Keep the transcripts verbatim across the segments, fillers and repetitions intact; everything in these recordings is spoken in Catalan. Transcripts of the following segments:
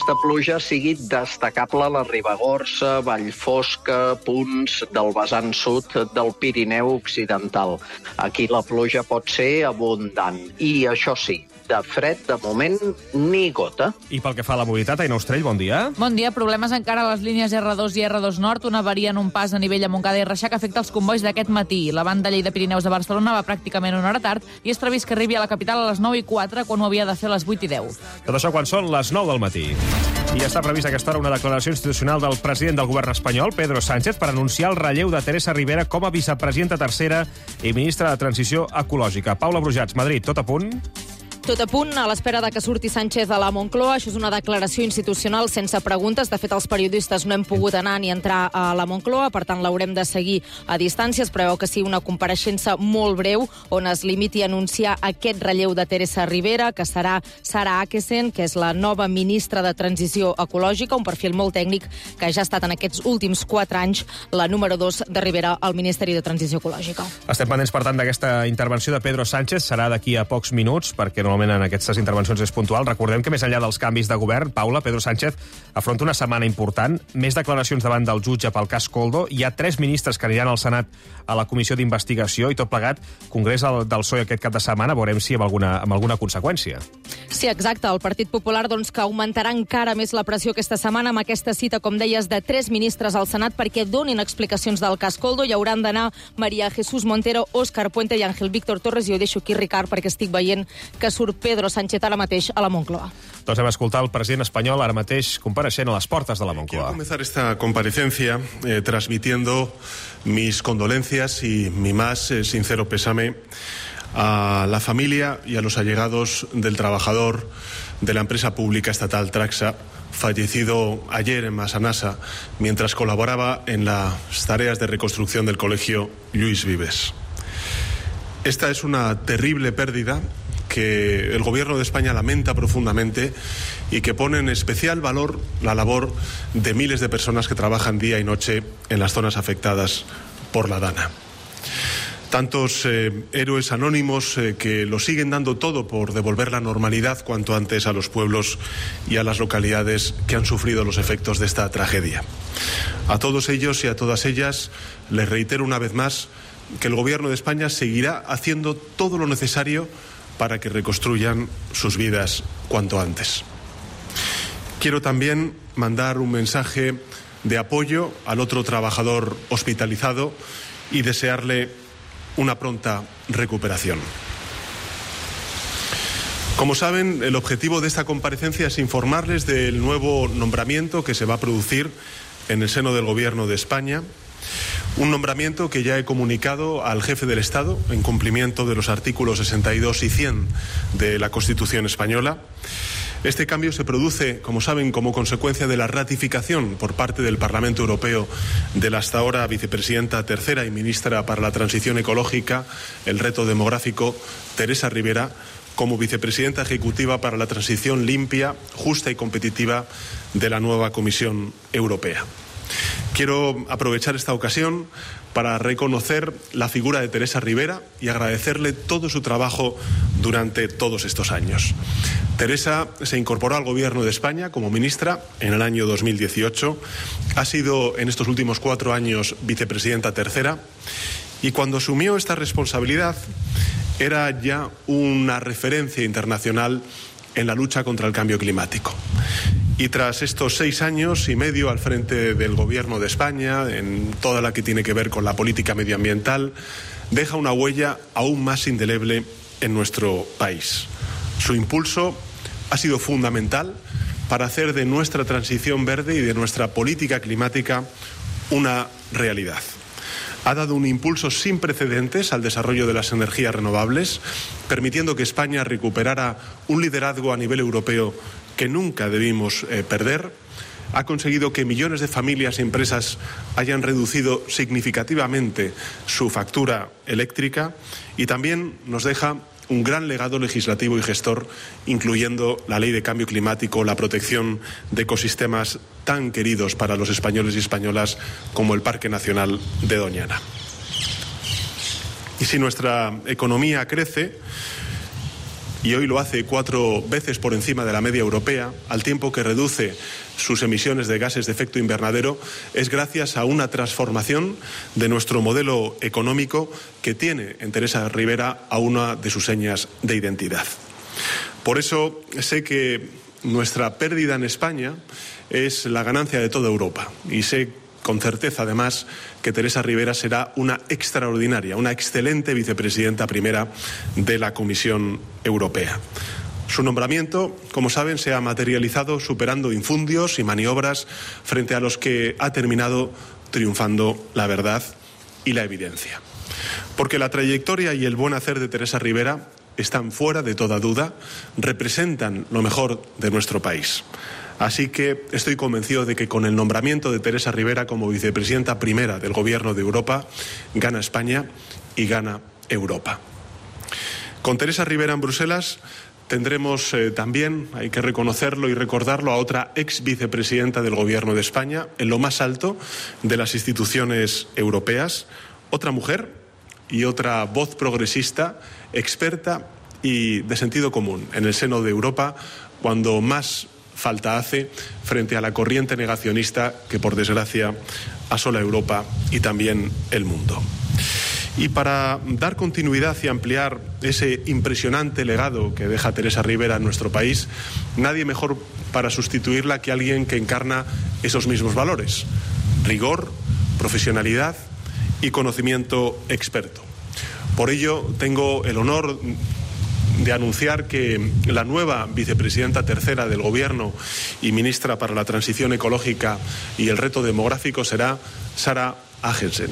aquesta pluja sigui destacable a la Ribagorça, Vallfosca, punts del vessant sud del Pirineu Occidental. Aquí la pluja pot ser abundant. I això sí, de fred, de moment, ni gota. I pel que fa a la mobilitat, Aina Ostrell, bon dia. Bon dia. Problemes encara a les línies erre dos i erre dos Nord. Una avaria en un pas a nivell a Montcada i Reixac afecta els convois d'aquest matí. La banda Lleida-Pirineus de Barcelona va pràcticament una hora tard i és previst que arribi a la capital a les nou i quatre, quan ho havia de fer a les vuit i deu. Tot això quan són les nou del matí. I ja està prevista a aquesta hora una declaració institucional del president del govern espanyol, Pedro Sánchez, per anunciar el relleu de Teresa Ribera com a vicepresidenta tercera i ministra de Transició Ecològica. Paula Brujats, Madrid, tot a punt? Tot a punt, a l'espera de que surti Sánchez a la Moncloa. Això és una declaració institucional sense preguntes. De fet, els periodistes no hem pogut anar ni entrar a la Moncloa, per tant, l'haurem de seguir a distància. Es preveu que sigui una compareixença molt breu, on es limiti a anunciar aquest relleu de Teresa Ribera, que serà Sara Akesen, que és la nova ministra de Transició Ecològica, un perfil molt tècnic que ja ha estat en aquests últims quatre anys la número dos de Ribera al Ministeri de Transició Ecològica. Estem pendents, per tant, d'aquesta intervenció de Pedro Sánchez. Serà d'aquí a pocs minuts, perquè no en aquestes intervencions és puntual. Recordem que més enllà dels canvis de govern, Paula, Pedro Sánchez afronta una setmana important, més declaracions davant del jutge pel cas Koldo, hi ha tres ministres que aniran al Senat a la comissió d'investigació i tot plegat, Congrés del P S O E aquest cap de setmana, veurem si amb alguna, amb alguna conseqüència. Sí, exacte. El Partit Popular, doncs, que augmentarà encara més la pressió aquesta setmana amb aquesta cita, com deies, de tres ministres al Senat perquè donin explicacions del cas Koldo. Hi hauran d'anar María Jesús Montero, Óscar Puente i Ángel Víctor Torres, i ho deixo aquí, Ricard, perquè estic veient que surt Pedro Sánchez ara mateix a la Moncloa. Doncs hem escoltat el president espanyol ara mateix compareixent a les portes de la Moncloa. Quiero comenzar esta comparecencia eh, transmitiendo mis condolencias y mi más eh, sincero pésame a la familia y a los allegados del trabajador de la empresa pública estatal Traxa, fallecido ayer en Massanassa mientras colaboraba en las tareas de reconstrucción del colegio Lluís Vives. Esta es una terrible pérdida que el Gobierno de España lamenta profundamente y que pone en especial valor la labor de miles de personas que trabajan día y noche en las zonas afectadas por la Dana. Tantos eh, héroes anónimos eh, que lo siguen dando todo por devolver la normalidad cuanto antes a los pueblos y a las localidades que han sufrido los efectos de esta tragedia. A todos ellos y a todas ellas les reitero una vez más que el Gobierno de España seguirá haciendo todo lo necesario para que reconstruyan sus vidas cuanto antes. Quiero también mandar un mensaje de apoyo al otro trabajador hospitalizado y desearle una pronta recuperación. Como saben, el objetivo de esta comparecencia es informarles del nuevo nombramiento que se va a producir en el seno del Gobierno de España. Un nombramiento que ya he comunicado al jefe del Estado en cumplimiento de los artículos sesenta y dos y cien de la Constitución española. Este cambio se produce, como saben, como consecuencia de la ratificación por parte del Parlamento Europeo de la hasta ahora vicepresidenta tercera y ministra para la Transición Ecológica, el reto demográfico, Teresa Ribera, como vicepresidenta ejecutiva para la transición limpia, justa y competitiva de la nueva Comisión Europea. Quiero aprovechar esta ocasión para reconocer la figura de Teresa Ribera y agradecerle todo su trabajo durante todos estos años. Teresa se incorporó al Gobierno de España como ministra en el año dos mil dieciocho, ha sido en estos últimos cuatro años vicepresidenta tercera y cuando asumió esta responsabilidad era ya una referencia internacional en la lucha contra el cambio climático. Y tras estos seis años y medio al frente del Gobierno de España, en toda la que tiene que ver con la política medioambiental, deja una huella aún más indeleble en nuestro país. Su impulso ha sido fundamental para hacer de nuestra transición verde y de nuestra política climática una realidad. Ha dado un impulso sin precedentes al desarrollo de las energías renovables, permitiendo que España recuperara un liderazgo a nivel europeo que nunca debimos eh, perder. Ha conseguido que millones de familias y empresas hayan reducido significativamente su factura eléctrica y también nos deja un gran legado legislativo y gestor, incluyendo la Ley de Cambio Climático, la protección de ecosistemas tan queridos para los españoles y españolas como el Parque Nacional de Doñana. Y si nuestra economía crece, y hoy lo hace cuatro veces por encima de la media europea, al tiempo que reduce sus emisiones de gases de efecto invernadero, es gracias a una transformación de nuestro modelo económico que tiene en Teresa Rivera a una de sus señas de identidad. Por eso sé que nuestra pérdida en España es la ganancia de toda Europa y sé con certeza, además, que Teresa Rivera será una extraordinaria, una excelente vicepresidenta primera de la Comisión Europea. Su nombramiento, como saben, se ha materializado superando infundios y maniobras frente a los que ha terminado triunfando la verdad y la evidencia. Porque la trayectoria y el buen hacer de Teresa Rivera están fuera de toda duda, representan lo mejor de nuestro país. Así que estoy convencido de que con el nombramiento de Teresa Rivera como vicepresidenta primera del Gobierno de Europa, gana España y gana Europa. Con Teresa Rivera en Bruselas tendremos eh, también, hay que reconocerlo y recordarlo, a otra ex vicepresidenta del Gobierno de España, en lo más alto de las instituciones europeas, otra mujer y otra voz progresista, experta y de sentido común en el seno de Europa, cuando más falta hace frente a la corriente negacionista que, por desgracia, asola Europa y también el mundo. Y para dar continuidad y ampliar ese impresionante legado que deja Teresa Rivera en nuestro país, nadie mejor para sustituirla que alguien que encarna esos mismos valores: rigor, profesionalidad y conocimiento experto. Por ello, tengo el honor de anunciar que la nueva vicepresidenta tercera del Gobierno y ministra para la Transición Ecológica y el Reto Demográfico será Sara Agensen.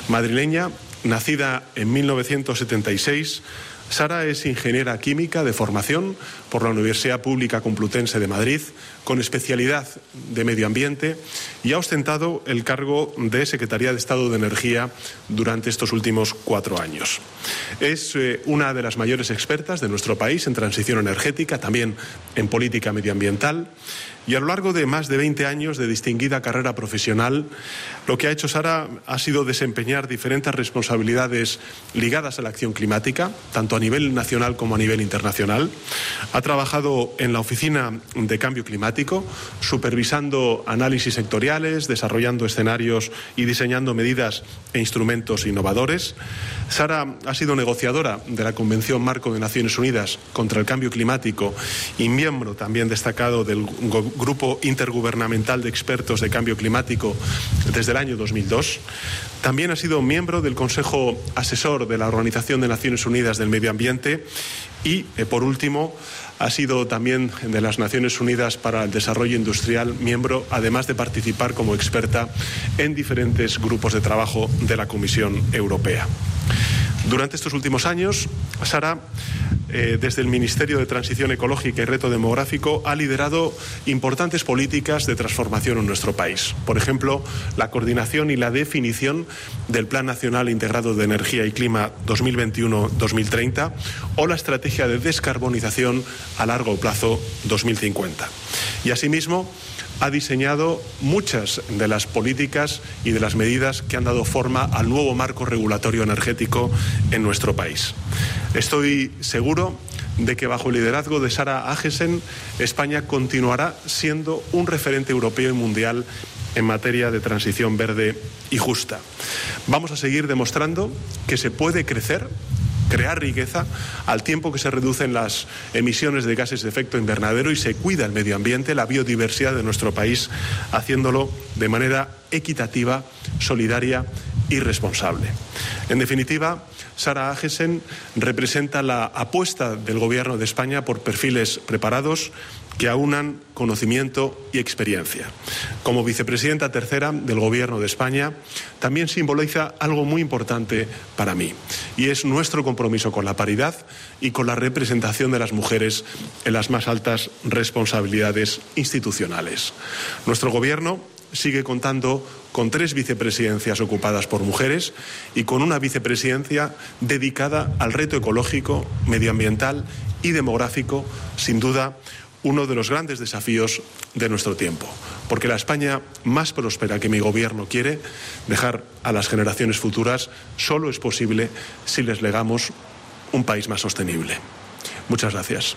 Madrileña, nacida en mil novecientos setenta y seis, Sara es ingeniera química de formación por la Universidad Pública Complutense de Madrid, con especialidad de medio ambiente, y ha ostentado el cargo de Secretaría de Estado de Energía durante estos últimos cuatro años. Es eh, una de las mayores expertas de nuestro país en transición energética, también en política medioambiental, y a lo largo de más de veinte años de distinguida carrera profesional, lo que ha hecho Sara ha sido desempeñar diferentes responsabilidades ligadas a la acción climática, tanto a nivel nacional como a nivel internacional. Ha trabajado en la Oficina de Cambio Climático, supervisando análisis sectoriales, desarrollando escenarios y diseñando medidas e instrumentos innovadores. Sara ha sido negociadora de la Convención Marco de Naciones Unidas contra el Cambio Climático y miembro también destacado del Grupo Intergubernamental de Expertos de Cambio Climático desde el año dos mil dos. También ha sido miembro del Consejo Asesor de la Organización de Naciones Unidas del Medio Ambiente y, eh, por último, ha sido también de las Naciones Unidas para el Desarrollo Industrial miembro, además de participar como experta en diferentes grupos de trabajo de la Comisión Europea. Durante estos últimos años, Sara, eh, desde el Ministerio de Transición Ecológica y Reto Demográfico, ha liderado importantes políticas de transformación en nuestro país. Por ejemplo, la coordinación y la definición del Plan Nacional Integrado de Energía y Clima dos mil veintiuno dos mil treinta o la Estrategia de Descarbonización a Largo Plazo dos mil cincuenta. Y asimismo, ha diseñado muchas de las políticas y de las medidas que han dado forma al nuevo marco regulatorio energético en nuestro país. Estoy seguro de que bajo el liderazgo de Sara Agensen, España continuará siendo un referente europeo y mundial en materia de transición verde y justa. Vamos a seguir demostrando que se puede crecer, crear riqueza, al tiempo que se reducen las emisiones de gases de efecto invernadero y se cuida el medio ambiente, la biodiversidad de nuestro país, haciéndolo de manera equitativa, solidaria y responsable. En definitiva, Sara Agensen representa la apuesta del Gobierno de España por perfiles preparados que aunan conocimiento y experiencia. Como vicepresidenta tercera del Gobierno de España, también simboliza algo muy importante para mí, y es nuestro compromiso con la paridad y con la representación de las mujeres en las más altas responsabilidades institucionales. Nuestro Gobierno sigue contando con tres vicepresidencias ocupadas por mujeres y con una vicepresidencia dedicada al reto ecológico, medioambiental y demográfico, sin duda uno de los grandes desafíos de nuestro tiempo, porque la España más próspera que mi Gobierno quiere dejar a las generaciones futuras solo es posible si les legamos un país más sostenible. Muchas gracias.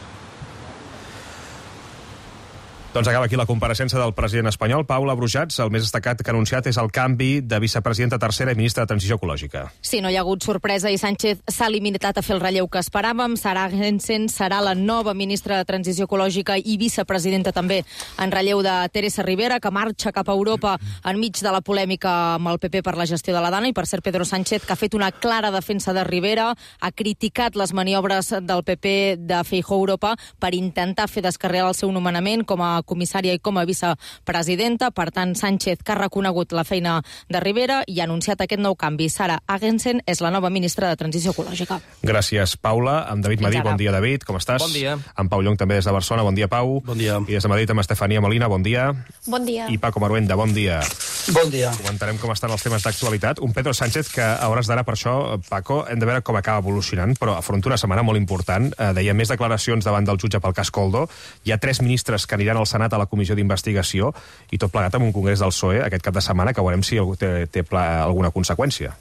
Doncs acaba aquí la compareixença del president espanyol, Paula Brujats. El més destacat que ha anunciat és el canvi de vicepresidenta tercera i ministra de Transició Ecològica. Sí, no hi ha hagut sorpresa i Sánchez s'ha limitat a fer el relleu que esperàvem. Sara Agensén serà la nova ministra de Transició Ecològica i vicepresidenta també en relleu de Teresa Ribera, que marxa cap a Europa enmig de la polèmica amb el P P per la gestió de la Dana, i per cert Pedro Sánchez, que ha fet una clara defensa de Ribera, ha criticat les maniobres del P P de Feijóo a Europa per intentar fer descarrilar el seu nomenament com a comissària i com a vicepresidenta. Per tant, Sánchez, que ha reconegut la feina de Ribera i ha anunciat aquest nou canvi. Sara Agensén és la nova ministra de Transició Ecològica. Gràcies, Paula. Amb David Madí, bon dia, David. Com estàs? Bon dia. Amb Pau Llong, també des de Barcelona. Bon dia, Pau. Bon dia. I des de Madrid amb Estefania Molina. Bon dia. Bon dia. I Paco Maruenda. Bon dia. Bon dia. Comentarem com estan els temes d'actualitat. Un Pedro Sánchez que, a hores d'ara, per això, Paco, hem de veure com acaba evolucionant, però afronta una setmana molt important. Eh, deia més declaracions davant del jutge pel cas Coldo. Hi ha tres ministres que aniran al Senat a la comissió d'investigació i tot plegat amb un congrés del P S O E aquest cap de setmana que veurem si té, té alguna conseqüència.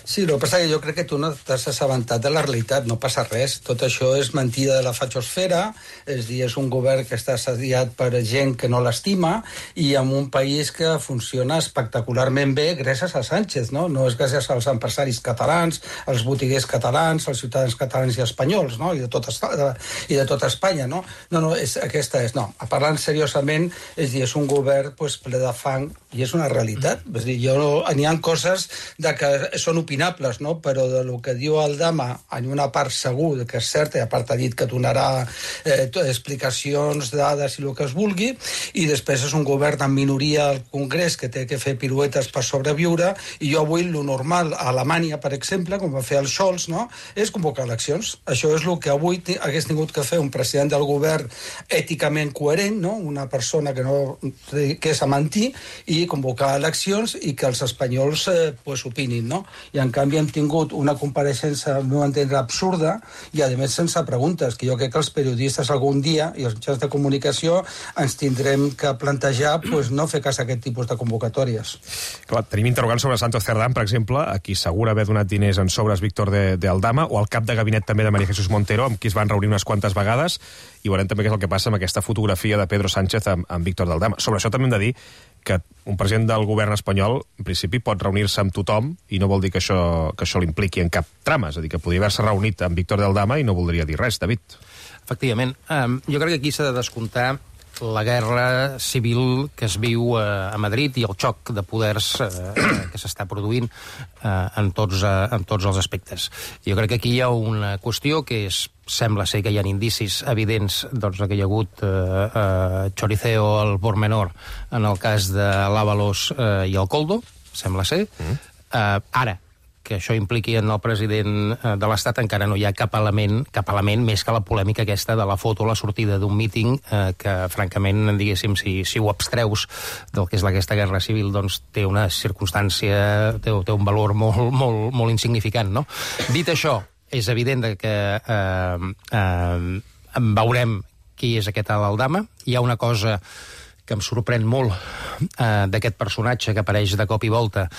Sí, el que passa que jo crec que tu no t'has assabentat de la realitat, no passa res. Tot això és mentida de la fachosfera, és dir, és un govern que està assediat per gent que no l'estima i amb un país que funciona espectacularment bé gràcies a Sánchez, no? No és gràcies als empresaris catalans, als botiguers catalans, als ciutadans catalans i espanyols, no? I de tot, de, i de tot Espanya, no? No, no, és, aquesta és, no. Parlant seriosament, és dir, és un govern pues, ple de fang i és una realitat. És dir, jo, n'hi ha coses de que són opinions, no? Però de lo que diu Aldama en una part segur que és certa, i a part ha dit que donarà eh, explicacions, dades i el que es vulgui, i després és un govern en minoria al Congrés que té que fer piruetes per sobreviure, i jo avui lo normal a Alemanya, per exemple, com va fer el Scholz, no? És convocar eleccions. Això és el que avui hagués tingut que fer un president del govern èticament coherent, no? Una persona que no que és a mentir, i convocar eleccions i que els espanyols eh, pues, opinin, no? I en canvi hem tingut una compareixença, no entendre, absurda i a més sense preguntes, que jo crec que els periodistes algun dia i els mitjans de comunicació ens tindrem que plantejar pues, no fer cas a aquest tipus de convocatòries. Clar, tenim interrogants sobre Santos Cerdán, per exemple, a qui segura haver donat diners en sobres Víctor de, de Aldama, o al cap de gabinet també de María Jesús Montero, amb qui es van reunir unes quantes vegades, i veurem també què és el que passa amb aquesta fotografia de Pedro Sánchez amb, amb Víctor de Aldama. Sobre això també hem de dir que un president del govern espanyol, en principi, pot reunir-se amb tothom i no vol dir que això, que això l'impliqui en cap trama. És a dir, que podria haver-se reunit amb Víctor de Aldama i no voldria dir res, David. Efectivament. Um, jo crec que aquí s'ha de descomptar la guerra civil que es viu uh, a Madrid i el xoc de poders uh, que s'està produint uh, en, tots, uh, en tots els aspectes. Jo crec que aquí hi ha una qüestió que és, sembla ser que hi ha indicis evidents doncs, que hi ha hagut uh, uh, choriceo al por menor en el cas de l'Ábalos uh, i el Coldo, sembla ser. Mm. Uh, ara, que això impliqui en el president de l'Estat, encara no hi ha cap element, cap element més que la polèmica aquesta de la foto a la sortida d'un míting, eh, que, francament, diguéssim, si, si ho abstreus del que és aquesta guerra civil, doncs té una circumstància, té, té un valor molt, molt, molt insignificant, no? Dit això, és evident que eh, eh, veurem qui és aquest Aldama. Hi ha una cosa que em sorprèn molt eh, d'aquest personatge que apareix de cop i volta,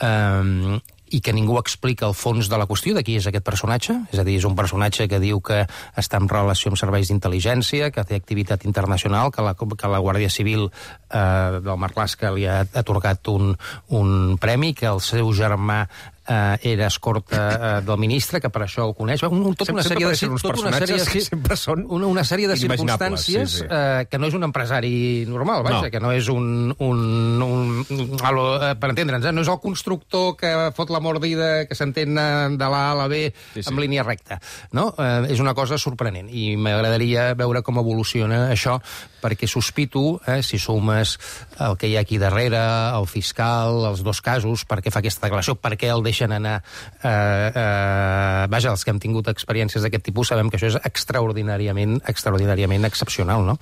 eh, i que ningú explica el fons de la qüestió de qui és aquest personatge. És a dir, és un personatge que diu que està en relació amb serveis d'intel·ligència, que té activitat internacional, que la, que la Guàrdia Civil eh, del Marlaska li ha atorgat un, un premi, que el seu germà Uh, era escorta uh, del ministre, que per això el coneix. Un, un, tot una sèrie de, uns tot una sèrie de, que sempre són una, una sèrie de circumstàncies sí, sí. Uh, que no és un empresari normal, vaja, no. Que no és un... un, un, un alo, uh, per entendre'ns, eh? No és el constructor que fot la mordida, que s'entén de l'A a la B sí, sí. amb línia recta. No? Uh, és una cosa sorprenent i m'agradaria veure com evoluciona això, perquè sospito, eh, si sumes el que hi ha aquí darrere, el fiscal, els dos casos, per què fa aquesta declaració, per què el deixa anar... Eh, eh, vaja, els que hem tingut experiències d'aquest tipus sabem que això és extraordinàriament extraordinàriament excepcional, no?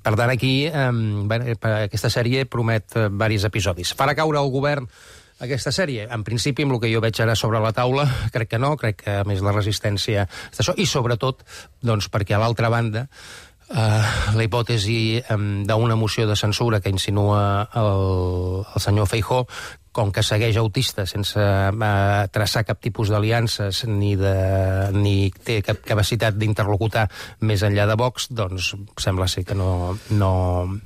Per tant, aquí eh, bé, aquesta sèrie promet eh, diversos episodis. Farà caure el govern aquesta sèrie? En principi, amb el que jo veig ara sobre la taula, crec que no, crec que a més la resistència és això, i sobretot, doncs, perquè a l'altra banda Uh, la hipòtesi um, d'una moció de censura que insinua el, el senyor Feijóo com que segueix autista sense eh, traçar cap tipus d'aliances ni, de, ni té cap capacitat d'interlocutar més enllà de Vox, doncs sembla ser que no, no,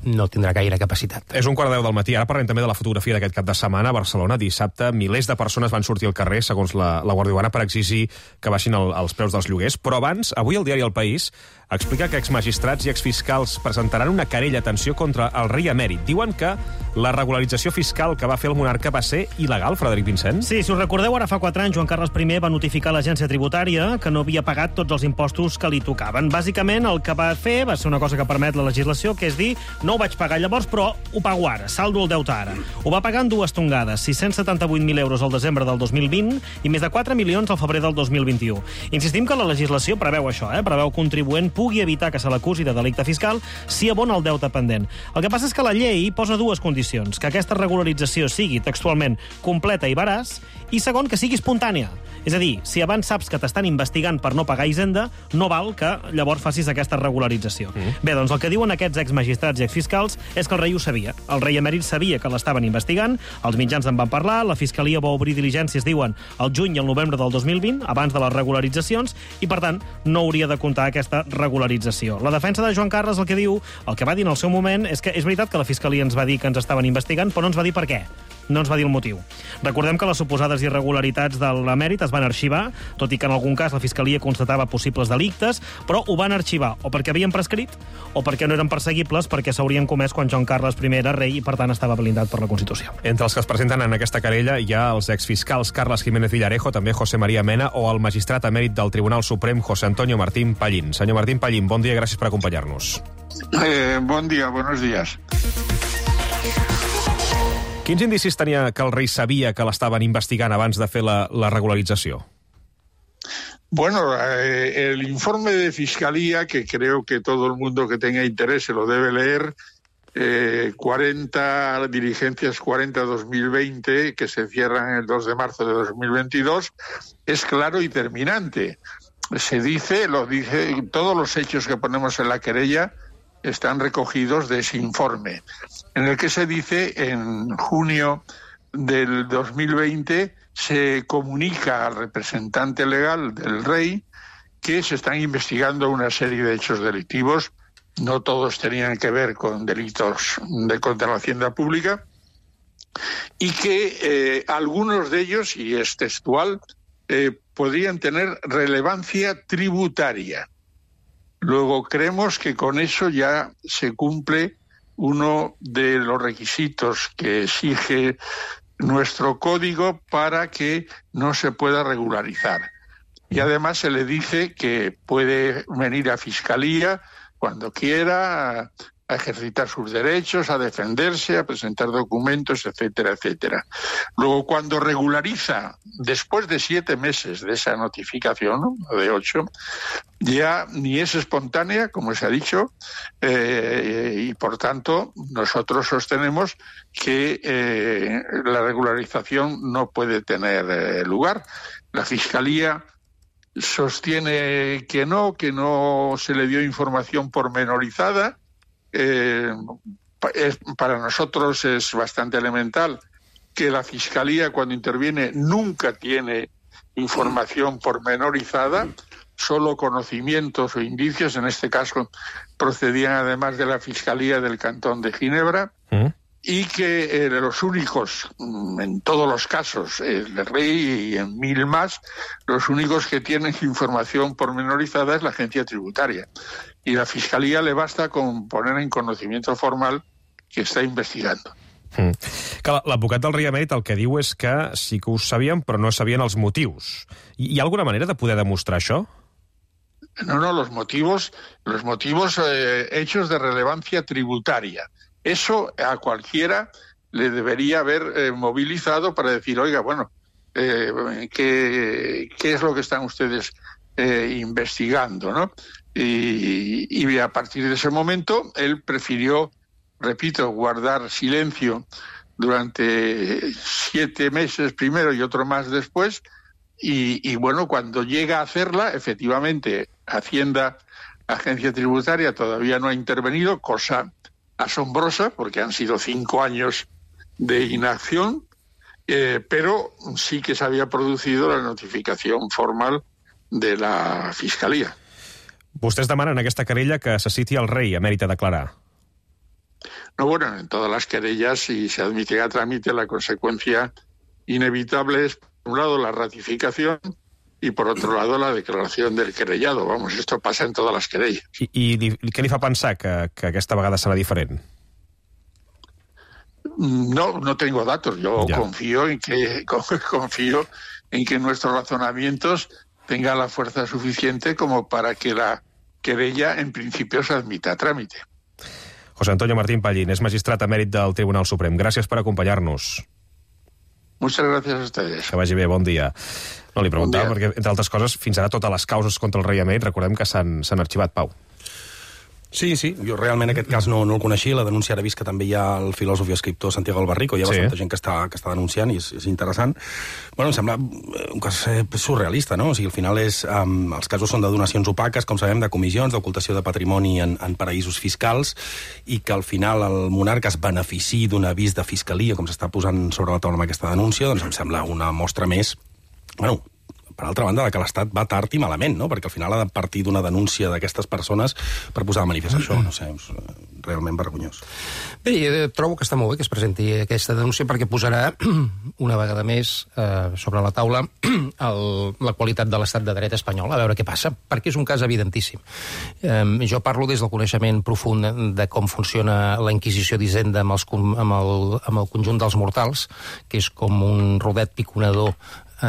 no tindrà gaire capacitat. És un quart de deu del matí. Ara parlem també de la fotografia d'aquest cap de setmana a Barcelona. Dissabte, milers de persones van sortir al carrer, segons la, la Guàrdia Urbana, per exigir que baixin el, els preus dels lloguers. Però abans, avui el diari El País explica que exmagistrats i exfiscals presentaran una querella, atenció, contra el rei emèrit. Diuen que la regularització fiscal que va fer el monarca va ser il·legal, Frederic Vincent? Sí, si us recordeu, ara fa quatre anys Joan Carles I va notificar a l'agència tributària que no havia pagat tots els impostos que li tocaven. Bàsicament, el que va fer va ser una cosa que permet la legislació, que és dir, no ho vaig pagar llavors, però ho pago ara, saldo el deute ara. Ho va pagar en dues tongades, sis-cents setanta-vuit mil euros al desembre del dos mil vint i més de quatre milions al febrer del dos mil vint-i-u. Insistim que la legislació preveu això, eh? preveu que un contribuent pugui evitar que se l'acusi de delicte fiscal si abona el deute pendent. El que passa és que la llei posa dues condicions: que aquesta regularització sigui textualment completa i veraç, i segon, que sigui espontània. És a dir, si abans saps que t'estan investigant per no pagar Hisenda, no val que llavors facis aquesta regularització. Mm. Bé, doncs el que diuen aquests exmagistrats i exfiscals és que el rei ho sabia. El rei emèrit sabia que l'estaven investigant, els mitjans en van parlar, la Fiscalia va obrir diligències, diuen, al juny i al novembre del dos mil vint, abans de les regularitzacions, i per tant no hauria de comptar aquesta regularització. La defensa de Joan Carles el que diu, el que va dir en el seu moment, és que és veritat que la Fiscalia ens va dir que ens estaven investigant, però no ens va dir per què. No ens va dir el motiu. Recordem que les suposades irregularitats de l'emèrit es van arxivar, tot i que en algun cas la Fiscalia constatava possibles delictes, però ho van arxivar o perquè havien prescrit o perquè no eren perseguibles, perquè s'haurien comès quan Joan Carles I era rei i, per tant, estava blindat per la Constitució. Entre els que es presenten en aquesta querella hi ha els exfiscals Carles Jiménez Villarejo, també José María Mena, o el magistrat emèrit del Tribunal Suprem, José Antonio Martín Pallín. Senyor Martín Pallín, bon dia i gràcies per acompanyar-nos. Eh, bon dia, buenos días. Quins indicis tenia que el rei sabia que l'estaven investigant abans de fer la, la regularització? Bueno, eh, el informe de Fiscalía, que creo que todo el mundo que tenga interés se lo debe leer, eh, cuarenta diligencias cuarenta dos mil veinte, que se cierran el dos de marzo de dos mil veintidós, es claro y terminante. Se dice, lo dice, todos los hechos que ponemos en la querella están recogidos de ese informe, en el que se dice en junio del dos mil veinte se comunica al representante legal del rey que se están investigando una serie de hechos delictivos, no todos tenían que ver con delitos de contra la hacienda pública, y que eh, algunos de ellos, y es textual, eh, podrían tener relevancia tributaria. Luego creemos que con eso ya se cumple uno de los requisitos que exige nuestro código para que no se pueda regularizar. Y además se le dice que puede venir a Fiscalía cuando quiera, a ejercitar sus derechos, a defenderse, a presentar documentos, etcétera, etcétera. Luego, cuando regulariza, después de siete meses de esa notificación, ¿no?, de ocho, ya ni es espontánea, como se ha dicho, eh, y por tanto nosotros sostenemos que eh, la regularización no puede tener eh, lugar. La Fiscalía sostiene que no, que no se le dio información pormenorizada. Eh, es, para nosotros es bastante elemental que la Fiscalía, cuando interviene, nunca tiene información pormenorizada, solo conocimientos o indicios. En este caso procedían además de la Fiscalía del Cantón de Ginebra, ¿Mm? y que eh, los únicos, en todos los casos, el rey y en mil más, los únicos que tienen información pormenorizada es la agencia tributaria. Y la Fiscalía le basta con poner en conocimiento formal que està investigando. Mm. L'advocat del rei emèrit el que diu és que sí que ho sabien, però no sabien els motius. Hi ha alguna manera de poder demostrar això? No, no, los motivos, los motivos eh, hechos de relevancia tributaria. Eso a cualquiera le debería haber eh, movilizado para decir, oiga, bueno, eh, ¿qué, ¿qué es lo que están ustedes eh, investigando, ¿no? Y, y a partir de ese momento él prefirió, repito, guardar silencio durante siete meses primero y otro más después, y, y bueno, cuando llega a hacerla, efectivamente, Hacienda, Agencia Tributaria, todavía no ha intervenido, cosa asombrosa, porque han sido cinco años de inacción, eh, pero sí que se había producido la notificación formal de la Fiscalía. Vostès demanen aquesta querella que se citi al rei emèrit a declarar. No, bueno, en todas las querellas, si se admite a trámite, la consecuencia inevitable es, por un lado, la ratificación y, por otro lado, la declaración del querellado. Vamos, esto pasa en todas las querellas. I, i què li fa pensar que, que aquesta vegada serà diferent? No, no tengo datos. Yo ya. confío en que confío en que nuestros razonamientos tengan la fuerza suficiente como para que la querella, en principio, se admita a trámite. José Antonio Martín Pallín és magistrat emèrit del Tribunal Suprem. Gràcies per acompanyar-nos. Muchas gracias a ustedes. Que vagi bé, bon dia. No, li preguntava bon perquè, entre altres coses, fins ara totes les causes contra el rei emèrit, recordem que s'han arxivat, Pau. Sí, sí, jo realment aquest cas no, no el coneixia, la denúncia ara he vist que també hi ha el filòsof i escriptor Santiago Albarrico, hi ha sí. bastanta gent que està, que està denunciant i és, és interessant. Bueno, em sembla un cas surrealista, no? O sigui, al final és, um, els casos són de donacions opaques, com sabem, de comissions, d'ocultació de patrimoni en, en paraïsos fiscals, i que al final el monarca es benefici d'un avís de fiscalia, com s'està posant sobre la taula amb aquesta denúncia, doncs em sembla una mostra més, bueno, per altra banda, que l'Estat va tard i malament, no? Perquè al final ha de partir d'una denúncia d'aquestes persones per posar de manifest això. No sé, és realment vergonyós. Bé, trobo que està molt bé que es presenti aquesta denúncia perquè posarà una vegada més eh, sobre la taula el, la qualitat de l'Estat de dret espanyol, a veure què passa, perquè és un cas evidentíssim. Eh, jo parlo des del coneixement profund de com funciona la Inquisició d'Hisenda amb, els, amb, el, amb el conjunt dels mortals, que és com un rodet piconador Uh,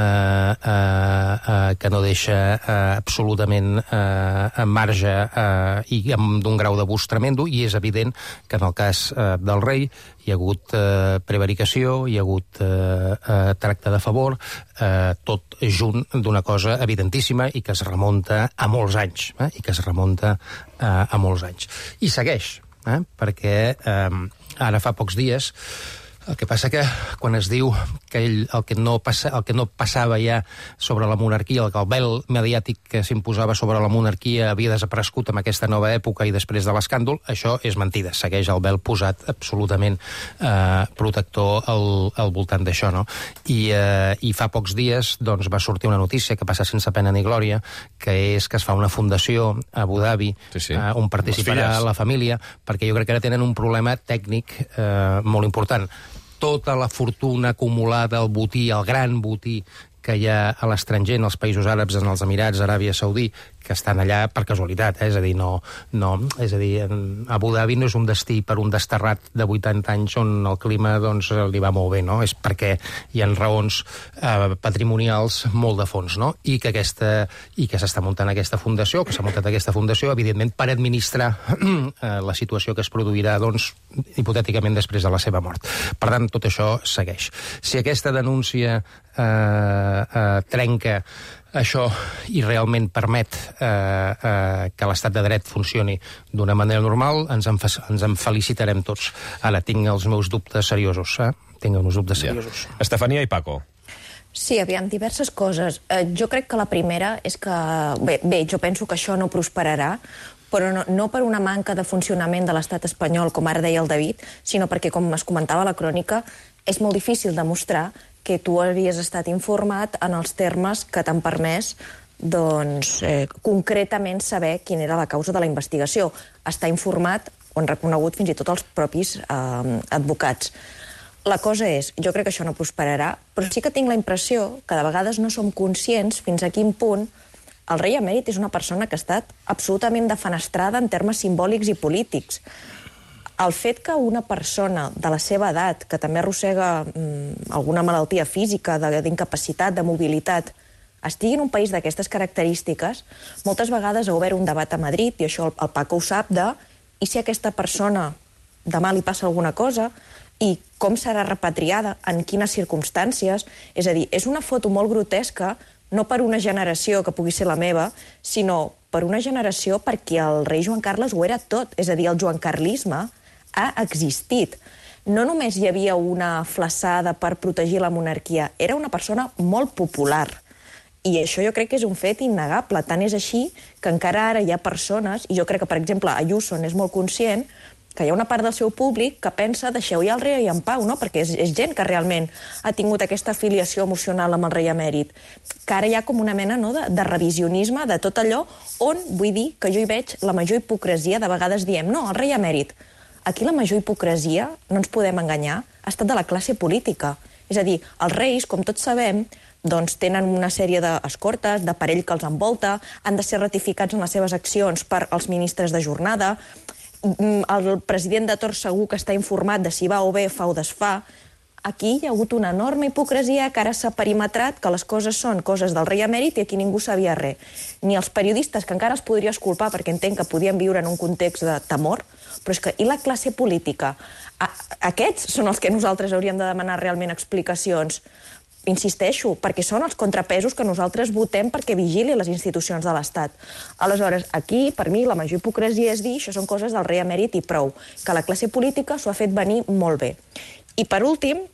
uh, uh, que no deixa uh, absolutament uh, en marge uh, i amb d'un grau d'abús tremendo, i és evident que en el cas uh, del rei hi ha hagut uh, prevaricació, hi ha hagut uh, uh, tracte de favor, uh, tot junt d'una cosa evidentíssima i que es remunta a molts anys, eh? i que es remunta uh, a molts anys. I segueix, eh? perquè um, ara fa pocs dies el que passa que quan es diu que ell, el, que no passa, el que no passava ja sobre la monarquia, el que el vel mediàtic que s'imposava sobre la monarquia havia desaparegut en aquesta nova època i després de l'escàndol, això és mentida. Segueix el vel posat absolutament eh, protector al, al voltant d'això, no? I, eh, I fa pocs dies doncs, va sortir una notícia que passa sense pena ni glòria, que és que es fa una fundació a Abu Dhabi, sí, sí. Eh, on participarà la família, perquè jo crec que ara tenen un problema tècnic eh, molt important. Tota la fortuna acumulada, el botí, el gran botí que hi ha a l'estranger, en els països àrabs, en els Emirats, Aràbia Saudí, que estan allà per casualitat, eh? és a dir, no, no, és a dir, Abu Dhabi no és un destí per un desterrat de vuitanta anys on el clima doncs, li va molt bé, no? És perquè hi ha raons eh, patrimonials molt de fons, no? I que aquesta, i que s'està muntant aquesta fundació, que s'ha muntat aquesta fundació, evidentment, per administrar eh, la situació que es produirà, doncs, hipotèticament després de la seva mort. Per tant, tot això segueix. Si aquesta denúncia eh, eh, trenca això i realment permet eh, eh, que l'estat de dret funcioni d'una manera normal, ens en, ens en felicitarem tots. Ara, tinc els meus dubtes seriosos, eh? Tinc els meus dubtes seriosos. Ja. Estefania i Paco. Sí, aviam, diverses coses. Eh, jo crec que la primera és que... Bé, bé, jo penso que això no prosperarà, però no, no per una manca de funcionament de l'estat espanyol, com ara deia el David, sinó perquè, com es comentava a la crònica, és molt difícil demostrar que tu havies estat informat en els termes que t'han permès doncs, eh, concretament saber quina era la causa de la investigació. Està informat, ho han reconegut fins i tot els propis eh, advocats. La cosa és, jo crec que això no prosperarà, però sí que tinc la impressió que de vegades no som conscients fins a quin punt el rei emèrit és una persona que ha estat absolutament defenestrada en termes simbòlics i polítics. El fet que una persona de la seva edat, que també arrossega mm, alguna malaltia física, d'incapacitat, de mobilitat, estigui en un país d'aquestes característiques, moltes vegades ha obert un debat a Madrid, i això el, el Paco ho sap, de i si a aquesta persona demà li passa alguna cosa, i com serà repatriada, en quines circumstàncies. És a dir, és una foto molt grotesca, no per una generació que pugui ser la meva, sinó per una generació perquè el rei Joan Carles ho era tot. És a dir, el joancarlisme ha existit. No només hi havia una flaçada per protegir la monarquia, era una persona molt popular. I això jo crec que és un fet innegable. Tant és així que encara ara hi ha persones, i jo crec que, per exemple, Ayuso n'és molt conscient, que hi ha una part del seu públic que pensa deixeu ja el rei en pau, no? Perquè és, és gent que realment ha tingut aquesta afiliació emocional amb el rei emèrit, que ara hi ha com una mena, no, de, de revisionisme de tot allò on, vull dir, que jo hi veig la major hipocresia. De vegades diem, no, el rei emèrit. Aquí la major hipocresia, no ens podem enganyar, ha estat de la classe política. És a dir, els reis, com tots sabem, doncs tenen una sèrie d'escortes, d'aparell que els envolta, han de ser ratificats en les seves accions per als ministres de jornada. El president de torn segur que està informat de si va o bé, fa o desfà. Aquí hi ha hagut una enorme hipocresia que ara s'ha perimetrat, que les coses són coses del rei emèrit i aquí ningú sabia res. Ni els periodistes, que encara els podria esculpar perquè entenc que podien viure en un context de temor, però és que, i la classe política? A, aquests són els que nosaltres hauríem de demanar realment explicacions. Insisteixo, perquè són els contrapesos que nosaltres votem perquè vigili les institucions de l'Estat. Aleshores, aquí, per mi, la major hipocresia és dir això són coses del rei emèrit i prou, que la classe política s'ho ha fet venir molt bé. I per últim,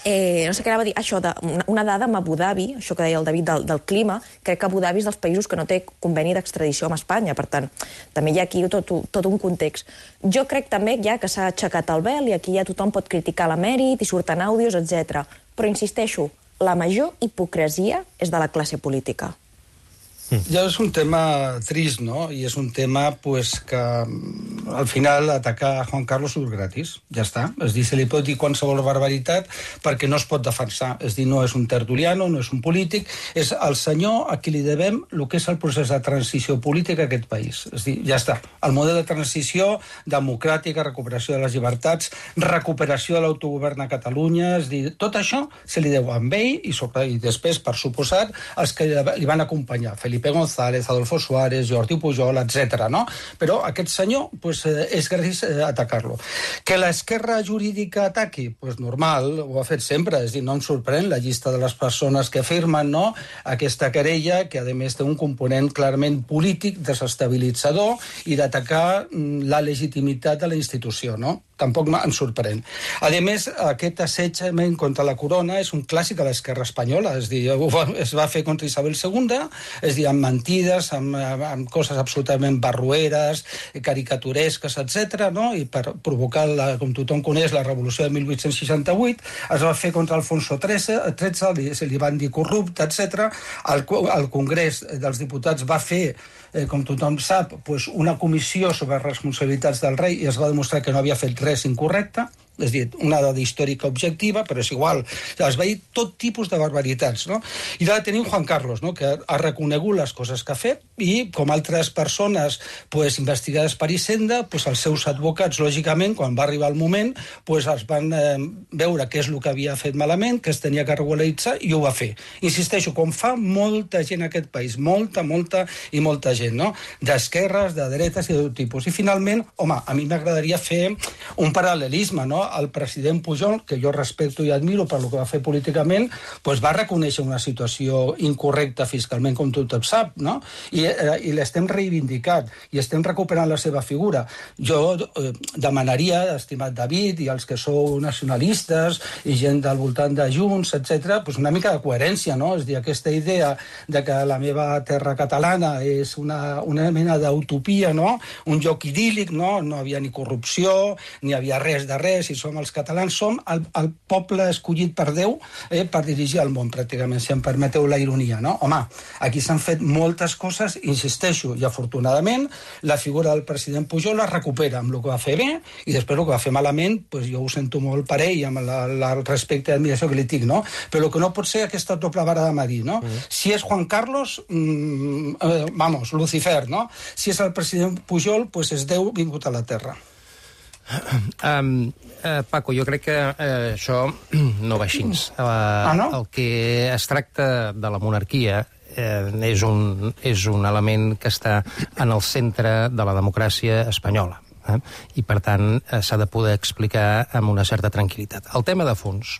eh, no sé què anava a dir, això, de, una, una dada amb Abu Dhabi, això que deia el David del, del clima, crec que Abu Dhabi és dels països que no té conveni d'extradició amb Espanya, per tant, també hi ha aquí tot, tot un context. Jo crec també ja que s'ha aixecat el vel i aquí ja tothom pot criticar l'emèrit i surten àudios, etcètera. Però insisteixo, la major hipocresia és de la classe política. Ja és un tema trist, no? I és un tema pues, que al final atacar a Juan Carlos és gratis, ja està. És dir, se li pot dir qualsevol barbaritat perquè no es pot defensar. És dir, no és un tertuliano, no és un polític, és el senyor a qui li devem el que és el procés de transició política a aquest país. És dir, ja està. El model de transició democràtica, recuperació de les llibertats, recuperació de l'autogovern a Catalunya, és dir, tot això se li deu a ell i, sobre, i després, per suposat, els que li van acompanyar, Felipe González, Adolfo Suárez, Jordi Pujol, etcètera. No? Però aquest senyor pues, eh, és gratis eh, atacar-lo. Que l'esquerra jurídica ataqui? Pues normal, ho ha fet sempre. És dir, no em sorprèn la llista de les persones que firmen no? aquesta querella, que a més té un component clarament polític, desestabilitzador i d'atacar la legitimitat de la institució. No? Tampoc em sorprèn. A més, aquest assetjament contra la corona és un clàssic de l'esquerra espanyola. És dir, es va fer contra Isabel segunda, és dir, amb mentides, amb, amb coses absolutament barrueres, caricaturesques, etcètera, no? I per provocar, la, com tothom coneix, la revolució de mil vuit-cents seixanta-vuit, es va fer contra Alfonso tretze, li, se li van dir corrupte, etcètera. El, el Congrés dels Diputats va fer, eh, com tothom sap, pues, una comissió sobre responsabilitats del rei i es va demostrar que no havia fet res incorrecte. És dir, una dada històrica objectiva, però és igual. Es va dir tot tipus de barbaritats, no? I ara tenim Juan Carlos, no? Que ha reconegut les coses que ha fet i, com altres persones pues, investigades per Hisenda, pues, els seus advocats, lògicament, quan va arribar el moment, pues, els van eh, veure què és el que havia fet malament, que es tenia que regularitzar, i ho va fer. Insisteixo, com fa molta gent en aquest país, molta, molta i molta gent, no? D'esquerres, de dretes i de tot tipus. I, finalment, home, a mi m'agradaria fer un paral·lelisme, no? El president Pujol, que jo respecto i admiro per el que va fer políticament, doncs va reconèixer una situació incorrecta fiscalment, com tothom sap, no? I, eh, i l'estem reivindicant, i estem recuperant la seva figura. Jo eh, demanaria, estimat David, i els que sou nacionalistes, i gent del voltant de Junts, etcètera, doncs una mica de coherència, no? És dir, aquesta idea de que la meva terra catalana és una, una mena d'utopia, no? Un lloc idíl·lic, no? No havia ni corrupció, ni havia res de res, si som els catalans, som el, el poble escollit per Déu eh, per dirigir el món, pràcticament, si em permeteu la ironia, no? Home, aquí s'han fet moltes coses, insisteixo, i afortunadament la figura del president Pujol la recupera amb el que va fer bé, i després el que va fer malament, pues jo ho sento molt per ell, amb la, la, el respecte i admiració que li tinc, no? Però el que no pot ser aquesta doble vara de medir, no? Mm. Si és Juan Carlos, mmm, eh, vamos, Lucifer, no? Si és el president Pujol, pues és Déu vingut a la terra. Um, uh, Paco, jo crec que uh, això no va així. Uh, ah, no? El que es tracta de la monarquia uh, és, un, és un element que està en el centre de la democràcia espanyola. Eh? I, per tant, uh, s'ha de poder explicar amb una certa tranquil·litat. El tema de fons,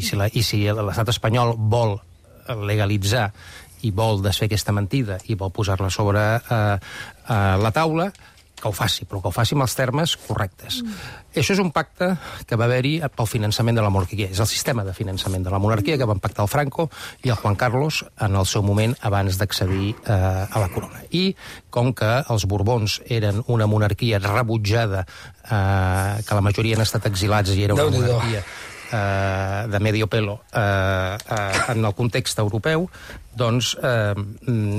i si, la, i si l'estat espanyol vol legalitzar i vol desfer aquesta mentida i vol posar-la sobre uh, uh, la taula, que ho faci, però que ho faci amb els termes correctes. Mm. Això és un pacte que va haver-hi pel finançament de la monarquia. És el sistema de finançament de la monarquia que van pactar el Franco i el Juan Carlos en el seu moment abans d'accedir eh, a la corona. I com que els Borbons eren una monarquia rebutjada, eh, que la majoria han estat exilats i era una monarquia eh, de medio pelo eh, eh, en el context europeu, doncs eh,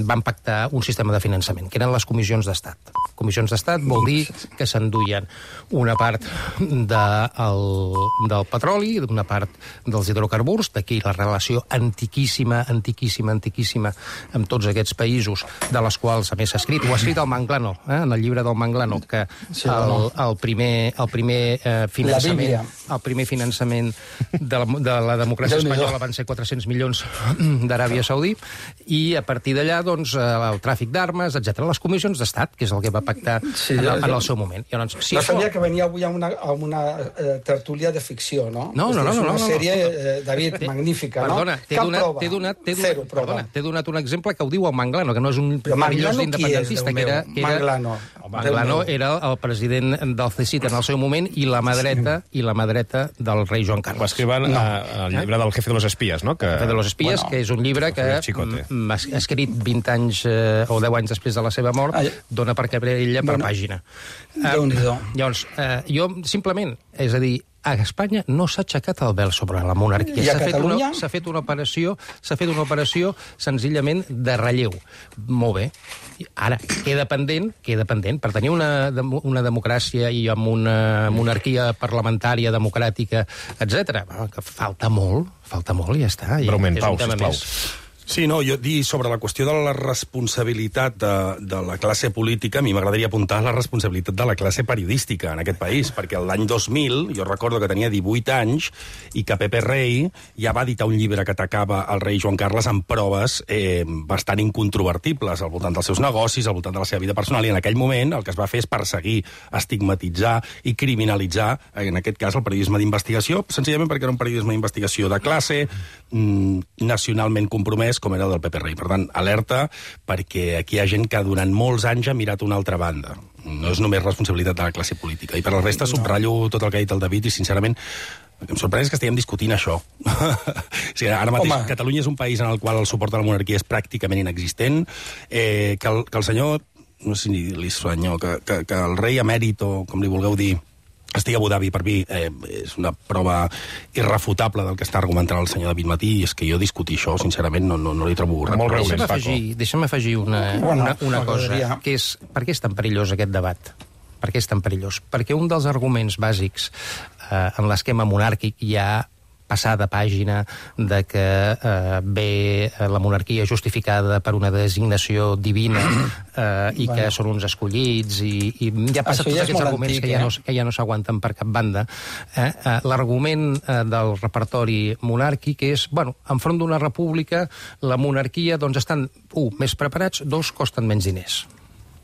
van pactar un sistema de finançament, que eren les comissions d'estat. Comissions d'estat vol dir que s'enduien una part de el, del petroli, una part dels hidrocarburs, d'aquí la relació antiquíssima, antiquíssima, antiquíssima amb tots aquests països, de les quals, a més, s'ha escrit, ho ha escrit el Manglano, eh, en el llibre del Manglano, que el, el primer, el primer eh, finançament, el primer finançament de la, de la democràcia espanyola van ser quatre-cents milions d'Aràbia Saudí, i a partir d'allà, doncs, el tràfic d'armes, etcètera. Les comissions d'estat, que és el que va pactar sí, en, el, en el seu moment. I, doncs, si no això... sabia que venia avui a una, a una eh, tertúlia de ficció, no? No, no, no. És una no, no, sèrie, no. eh, David, magnífica, perdona, no? Cap donat, prova. T'he donat, donat, Zero prova. Perdona, t'he donat un exemple que ho diu el Manglano, que no és un perillós independentista, que era... Que era Manglano. Manglano era el president del C S I T en el seu moment i la mà dreta, i la mà dreta del rei Joan Carles. Ho escriuen no. al llibre del Jefe de los Espías, no? Que... El Jefe de los Espías, bueno, que és un llibre que ha escrit vint anys eh, o deu anys després de la seva mort, Ai. dona per querella per bueno, pàgina. Déu-n'hi-do. Uh, llavors, uh, jo simplement, és a dir, a Espanya no s'ha aixecat el vel sobre la monarquia. S'ha fet, una, fet una operació, s'ha fet una operació senzillament de relleu. Molt bé. Ara, queda pendent, queda pendent, per tenir una, una democràcia i amb una monarquia parlamentària, democràtica, etcètera. Que falta molt, falta molt i ja està. Breument, Pau, sisplau. Sí, no, jo dir sobre la qüestió de la responsabilitat de, de la classe política, a mi m'agradaria apuntar la responsabilitat de la classe periodística en aquest país, perquè l'any dos mil, jo recordo que tenia divuit anys, i que Pepe Rey ja va editar un llibre que atacava el rei Joan Carles amb proves eh, bastant incontrovertibles al voltant dels seus negocis, al voltant de la seva vida personal, i en aquell moment el que es va fer és perseguir, estigmatitzar i criminalitzar, en aquest cas, el periodisme d'investigació, senzillament perquè era un periodisme d'investigació de classe, mm, nacionalment compromès, com era el del Pepe Rey. Per tant, alerta, perquè aquí hi ha gent que durant molts anys ha mirat una altra banda. No és només responsabilitat de la classe política. I per la resta subratllo tot el que ha dit el David i, sincerament, el que em sorprèn és que estiguem discutint això. O sigui, ara mateix Home. Catalunya és un país en el qual el suport a la monarquia és pràcticament inexistent, eh, que, el, que el senyor, no sé si li senyor, que, que, que el rei emèrit, o com li vulgueu dir, estigui a Abu Dhabi, per mi, eh, és una prova irrefutable del que està argumentant el senyor David Matí, i és que jo discutir això, sincerament, no, no, no li trobo res. Molt breument, Paco. Afegir, deixa'm afegir una, bueno, una, una cosa, que és, per què és tan perillós aquest debat? Per què és tan perillós? Perquè un dels arguments bàsics eh, en l'esquema monàrquic hi ha passar de pàgina de que eh, ve la monarquia justificada per una designació divina eh, i bueno. que són uns escollits i, i ja passa tots ja aquests arguments antic, que, ja no, que ja no s'aguanten per cap banda. Eh? Eh, L'argument eh, del repertori monàrquic és, bueno, enfront d'una república la monarquia doncs estan, un, més preparats, dos, costen menys diners.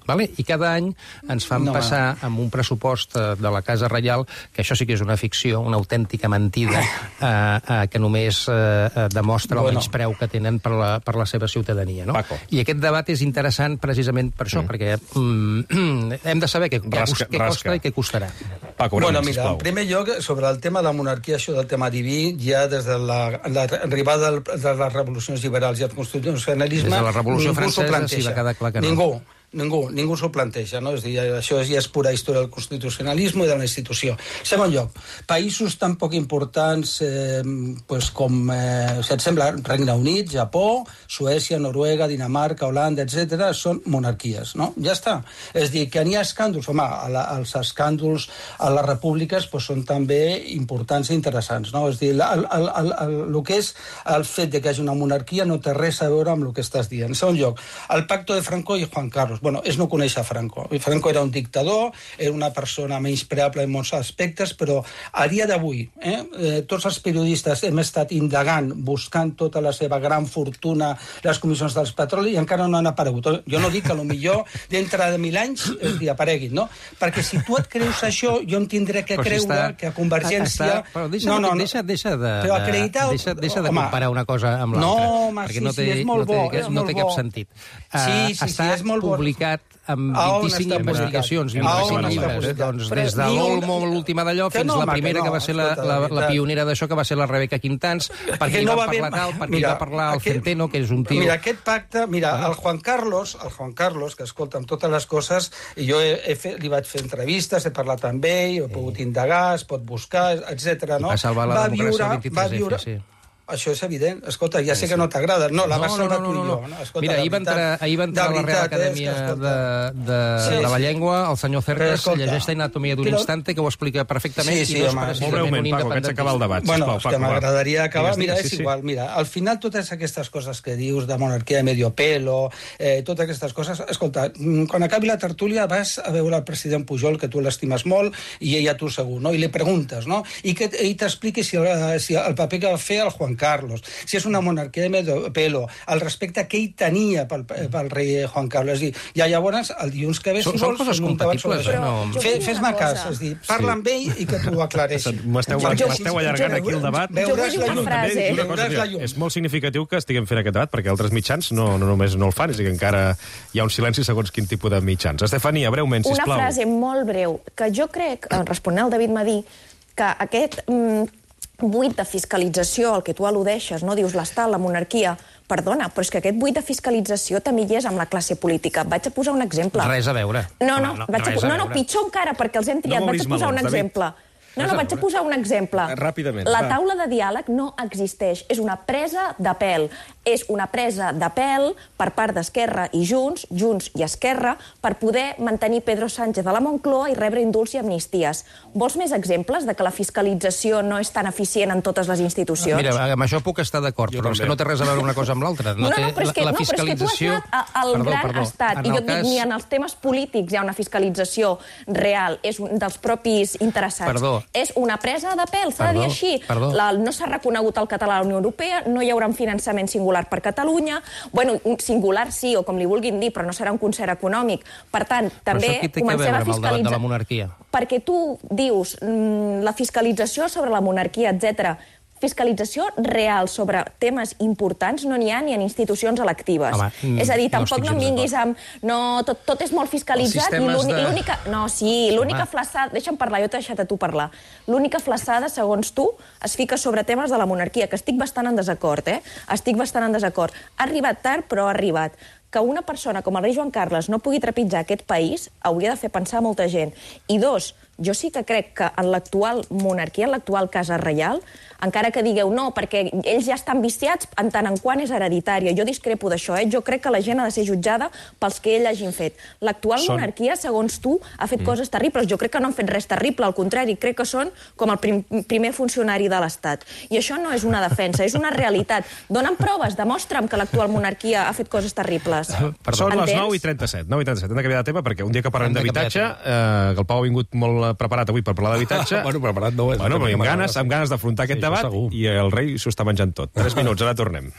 Vale? I cada any ens fan no, passar amb un pressupost de la Casa Reial, que això sí que és una ficció, una autèntica mentida, eh, eh, que només eh, demostra bueno. el menyspreu que tenen per la, per la seva ciutadania. No? Paco. I aquest debat és interessant precisament per això, mm. perquè mm, hem de saber què, rasca, què costa rasca. i què costarà. Paco, bueno, mira, en primer lloc, sobre el tema de la monarquia, això del tema diví, ja des de l'arribada la, de les revolucions liberals i el constitucionalisme, des de la Revolució Francesa sí va quedar clar que no. Ningú. Ningú, ningú s'ho planteja, no? És dir, això ja és pura història del constitucionalisme i de la institució. Segon lloc, països tan poc importants eh, pues com, eh, si et sembla, Regne Unit, Japó, Suècia, Noruega, Dinamarca, Holanda, etcètera, són monarquies, no? Ja està. És dir, que n'hi ha escàndols, home, a la, els escàndols a les repúbliques pues, són també importants i interessants, no? És dir, el, el, el, el, el que és el fet de que hi hagi una monarquia no té res a veure amb el que estàs dient. En segon lloc, el pacto de Franco i Juan Carlos. Bueno, és no conèixer Franco. Franco era un dictador, era una persona menyspreable en molts aspectes, però a dia d'avui, eh, eh, tots els periodistes hem estat indagant, buscant tota la seva gran fortuna, les comissions dels petroli, i encara no han aparegut. Jo no dic que potser dintre de mil anys hi apareguin, no? Perquè si tu et creus això, jo em tindré que creure si està, que a Convergència... Està, però deixa, no, no, no, deixa, deixa de, però acreditar... deixa, deixa de comparar una cosa amb l'altra. No, home, perquè sí, no té, sí, és molt no té, bo. no té cap sentit. Sí, sí, sí, és molt bo. publicat amb A on vint-i-cinc està investigacions i publicat? vint-i-cinc A on està llibres. publicat? Doncs Però des de ni un- l'Olmo, l'última d'allò, Que fins no, la home, primera, que que no, va ser la, escolta, la, de la veritat. pionera d'això, que va ser la Rebeca Quintans, perquè Que hi no va va haver- parlar tal, perquè Mira, hi va parlar el aquest- Centeno, que és un tio... Mira, aquest pacte, mira, el Juan Carlos, el Juan Carlos, que escolta, amb totes les coses, i jo he, he fet, li vaig fer entrevistes, he parlat amb ell, he pogut indagar, es pot buscar, etcètera. No? Va salvar la democràcia al vint-i-tres efa, viure, sí. Això és evident. Escolta, ja sé que no t'agrada. No, la No, vas no, salvar no, tu no, i no. jo. No? Escolta, Mira, ahir va entrar, ahir va entrar a la Real Acadèmia de, de, Sí, de la sí. Llengua, el senyor Cercas, escolta, llegeix Anatomia d'un però- instante, que ho explica perfectament, Sí, sí, i no és home. precisament Molt breument, un Paco, que haig d'acabar el debat. Bueno, Sisplau, és que Paco, va. m'agradaria acabar. Digues, Mira, digues, és sí, sí. igual. Mira, al final totes aquestes coses que dius de monarquia de medio pelo, eh, totes aquestes coses... Escolta, mm, quan acabi la tertúlia vas a veure el president Pujol, que tu l'estimes molt, i ella tu segur, no? I li preguntes, no? I que ell t'expliqui si, el- si el paper que va fer el Juan Carlos, si és una monarquia de medio pelo, el respecte que ell tenia pel, pel rei Juan Carlos. És dir, ja llavors, el dilluns que ve, Són- si són vols, coses fem un debat sobre compatibles, això. eh? No. Fe- Jo vull dir Fes-me una cas, cosa. és dir, parla amb ell i que t'ho aclareixi. M'esteu Jo- m'esteu allargant aquí el debat. Jo vull dir una També frase. dic una cosa, Veuràs la mira, llum. és molt significatiu que estiguem fent aquest debat, perquè altres mitjans no, no només no el fan, és a dir, que encara hi ha un silenci segons quin tipus de mitjans. Estefania, breument, Una sisplau. frase molt breu, que jo crec, eh, responent al David Madí, que aquest mm, buit de fiscalització al que tu al·ludeixes, no? Dius l'estat, la monarquia, perdona, però és que aquest buit de fiscalització també hi és amb la classe política. Vaig a posar un exemple. Res a veure. No, no, Home, no, vaig a, res a no, no, veure. pitjor encara, perquè els hem triat. No vaig m'obris a posar un melons, David. exemple. No, Res no, a vaig a veure. posar un exemple. Ràpidament, La va. taula de diàleg no existeix. És una presa de pèl. És una presa de pèl per part d'Esquerra i Junts, Junts i Esquerra, per poder mantenir Pedro Sánchez a la Moncloa i rebre indults i amnisties. Vols més exemples de que la fiscalització no és tan eficient en totes les institucions? Mira, amb això puc estar d'acord, Jo però és també. que no té res a veure una cosa amb l'altra. No, no, té, però és que, la, la no, però és que tu has fiscalització... anat a- al Perdó, gran perdó. estat, En i jo el et dic, cas- ni en els temes polítics hi ha una fiscalització real, és un dels propis interessats. Perdó. És una presa de pèl, s'ha de dir Perdó, així. perdó. La, no s'ha reconegut el català a la Unió Europea, no hi haurà un finançament singular per Catalunya, bueno, un singular sí, o com li vulguin dir, però no serà un concert econòmic. Per tant, Però també això què té a comencem veure a amb el debat de la fiscalitzar... monarquia? Perquè tu dius mm, la fiscalització sobre la monarquia, etcètera. Fiscalització real sobre temes importants no n'hi ha ni en institucions electives. Home, mm, és a dir, no tampoc estic no em gens vinguis amb... No, tot, tot és molt fiscalitzat i Els sistemes l'únic- de- l'única... No, sí, l'única Home. flaçada... Deixa'm parlar, jo t'he deixat a tu parlar. L'única flaçada, segons tu, es fica sobre temes de la monarquia, que estic bastant en desacord, eh? Estic bastant en desacord. Ha arribat tard, però ha arribat. Que una persona com el rei Joan Carles no pugui trepitjar aquest país hauria de fer pensar a molta gent. I dos, jo sí que crec que en l'actual monarquia, en l'actual casa reial, encara que digueu no, perquè ells ja estan viciats en tant en quant és hereditària. Jo discrepo d'això, eh? Jo crec que la gent ha de ser jutjada pels que ell hagin fet. L'actual Són- monarquia, segons tu, ha fet mm. coses terribles. Jo crec que no han fet res terrible, al contrari, crec que són com el prim primer funcionari de l'Estat. I això no és una defensa, és una realitat. Donen proves, demostra'm que l'actual monarquia ha fet coses terribles. Són les Entens? nou i trenta-set. nou i trenta-set. Hem de canviar de tema perquè un dia que parlem Hem de d'habitatge, canviar eh, que el Pau ha vingut molt preparat avui per parlar d'habitatge... Bueno, preparat no és. Bueno, però amb M'agrada, ganes, sí. amb ganes d'afrontar aquest Sí, això debat segur. i el rei s'ho està menjant tot. Tres minuts, ara tornem.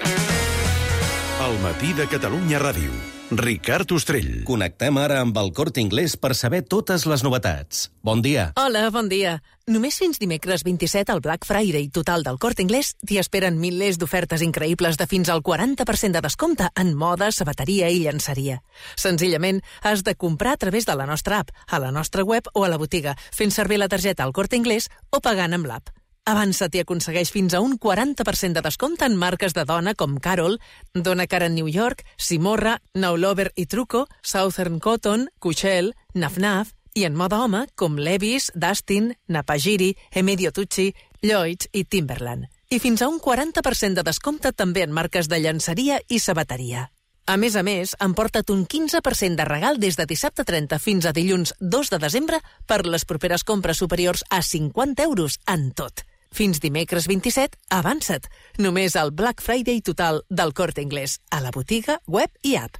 El matí de Catalunya Ràdio. Ricard Ostrell. Connectem ara amb el Corte Inglés per saber totes les novetats. Bon dia. Hola, bon dia. Només fins dimecres vint-i-set al Black Friday total del Corte Inglés t'hi esperen milers d'ofertes increïbles de fins al quaranta per cent de descompte en moda, sabateria i llançaria. Senzillament, has de comprar a través de la nostra app, a la nostra web o a la botiga, fent servir la targeta al Corte Inglés o pagant amb l'app. Avança't i aconsegueix fins a un quaranta per cent de descompte en marques de dona com Carol, Donna Karan New York, Simorra, Now Lover i Truco, Southern Cotton, Cushell, Naf Naf, i en moda home com Levi's, Dustin, Napagiri, Emilio Tucci, Lloyds i Timberland. I fins a un quaranta per cent de descompte també en marques de llançaria i sabateria. A més a més, emporta't un quinze per cent de regal des de dissabte trenta fins a dilluns dos de desembre per les properes compres superiors a cinquanta euros en tot. Fins dimecres vint-i-set, avança't. Només al Black Friday total del Corte Inglés, a la botiga, web i app.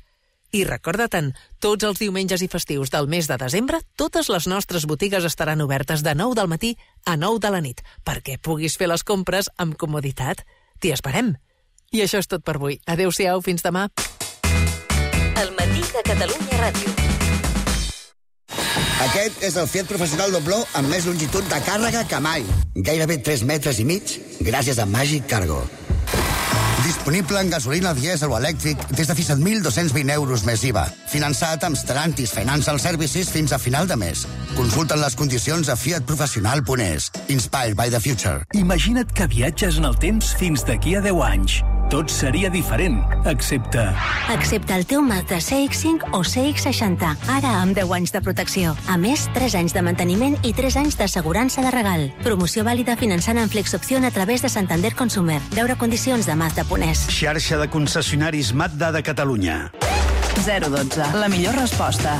I recorda-te'n, tots els diumenges i festius del mes de desembre, totes les nostres botigues estaran obertes de nou del matí a nou de la nit, perquè puguis fer les compres amb comoditat. T'hi esperem. I això és tot per avui. Adéu-siau, fins demà. El matí de Catalunya Ràdio. Aquest és el Fiat Professional dobló amb més longitud de càrrega que mai. Gairebé tres metres i mig gràcies a Magic Cargo. Disponible en gasolina, dièsel o elèctric des de fins a mil dos-cents vint euros més I V A. Finançat amb Stellantis Financial Services fins a final de mes. Consulten les condicions a fiat professional punt es. Inspired by the future. Imagina't que viatges en el temps fins d'aquí a deu anys. Tot seria diferent, excepte... Excepte el teu Mazda C X cinc o C X seixanta, ara amb deu anys de protecció. A més, tres anys de manteniment i tres anys d'assegurança de regal. Promoció vàlida finançant en Flexopció a través de Santander Consumer. Veure condicions de Mazda punt es. Xarxa de concessionaris Mazda de Catalunya. zero dotze. La millor resposta.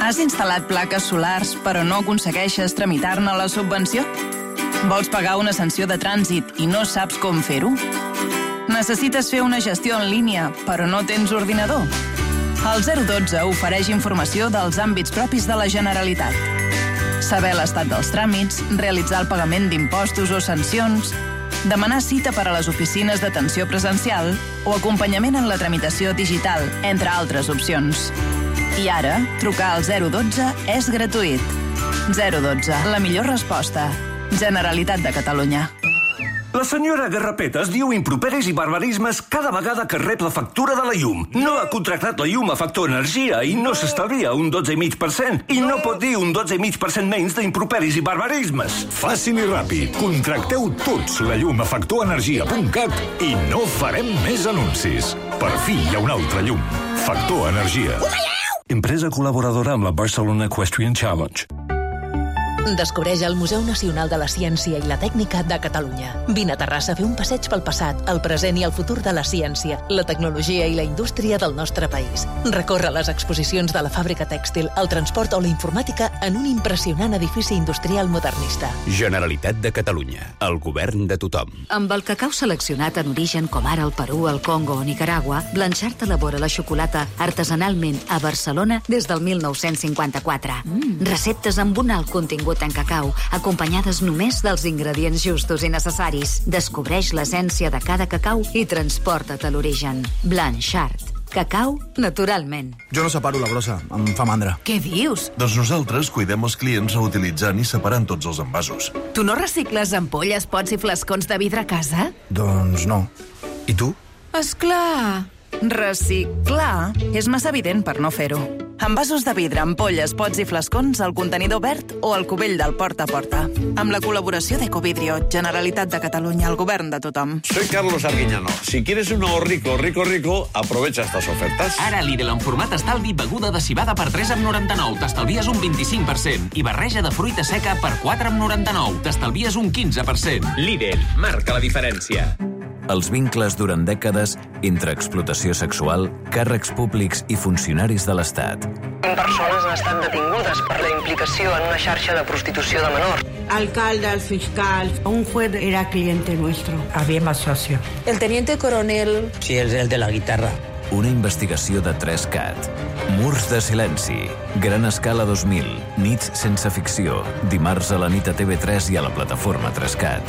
Has instal·lat plaques solars però no aconsegueixes tramitar-ne la subvenció? Vols pagar una sanció de trànsit i no saps com fer-ho? Necessites fer una gestió en línia, però no tens ordinador? El zero dotze ofereix informació dels àmbits propis de la Generalitat. Saber l'estat dels tràmits, realitzar el pagament d'impostos o sancions, demanar cita per a les oficines d'atenció presencial o acompanyament en la tramitació digital, entre altres opcions. I ara, trucar al zero dotze és gratuït. zero dotze. La millor resposta. Generalitat de Catalunya. La senyora Garrapetes diu improperis i barbarismes cada vegada que rep la factura de la llum. No ha contractat la llum a Factor Energia i no s'estalvia un dotze coma cinc per cent. I no pot dir un dotze coma cinc per cent menys d'improperis i barbarismes. Fàcil i ràpid. Contracteu tots la llum a factor energia punt cat i no farem més anuncis. Per fi hi ha una altra llum. Factor Energia. Empresa col·laboradora amb la Barcelona Equestrian Challenge. Descobreix el Museu Nacional de la Ciència i la Tècnica de Catalunya. Vine a Terrassa a fer un passeig pel passat, el present i el futur de la ciència, la tecnologia i la indústria del nostre país. Recorre les exposicions de la fàbrica tèxtil, el transport o la informàtica en un impressionant edifici industrial modernista. Generalitat de Catalunya. El govern de tothom. Amb el cacau seleccionat en origen com ara el Perú, el Congo o Nicaragua, Blanchard elabora la xocolata artesanalment a Barcelona des del mil nou-cents cinquanta-quatre. Mm. Receptes amb un alt contingut en cacau, acompanyades només dels ingredients justos i necessaris. Descobreix l'essència de cada cacau i transporta't a l'origen. Blanchard. Cacau naturalment. Jo no separo la brossa, em fa mandra. Què dius? Doncs nosaltres cuidem els clients reutilitzant i separant tots els envasos. Tu no recicles ampolles, pots i flascons de vidre a casa? Doncs no. I tu? Esclar! Reciclar és massa evident per no fer-ho. Envasos de vidre, ampolles, pots i flascons, al contenidor verd o al cubell del porta a porta. Amb la col·laboració d'Ecovidrio, Generalitat de Catalunya, el govern de tothom. Soy Carlos Arguiñano. Si quieres un nuevo rico, rico, rico, aprovecha estas ofertas. Ara Lidl en format estalvi, beguda de cibada per tres coma noranta-nou. T'estalvies un vint-i-cinc per cent. I barreja de fruita seca per quatre coma noranta-nou. T'estalvies un quinze per cent. Lidl, marca la diferència. Els vincles durant dècades entre explotació sexual, càrrecs públics i funcionaris de l'Estat. vint persones han estat detingudes per la implicació en una xarxa de prostitució de menors. Alcalde, el fiscal, un juez era cliente nuestro. Había más socio. El teniente coronel... Sí, el, el de la guitarra. Una investigació de tres cat. Murs de silenci. Gran escala dos mil. Nits sense ficció. Dimarts a la nit a T V tres i a la plataforma tres cat.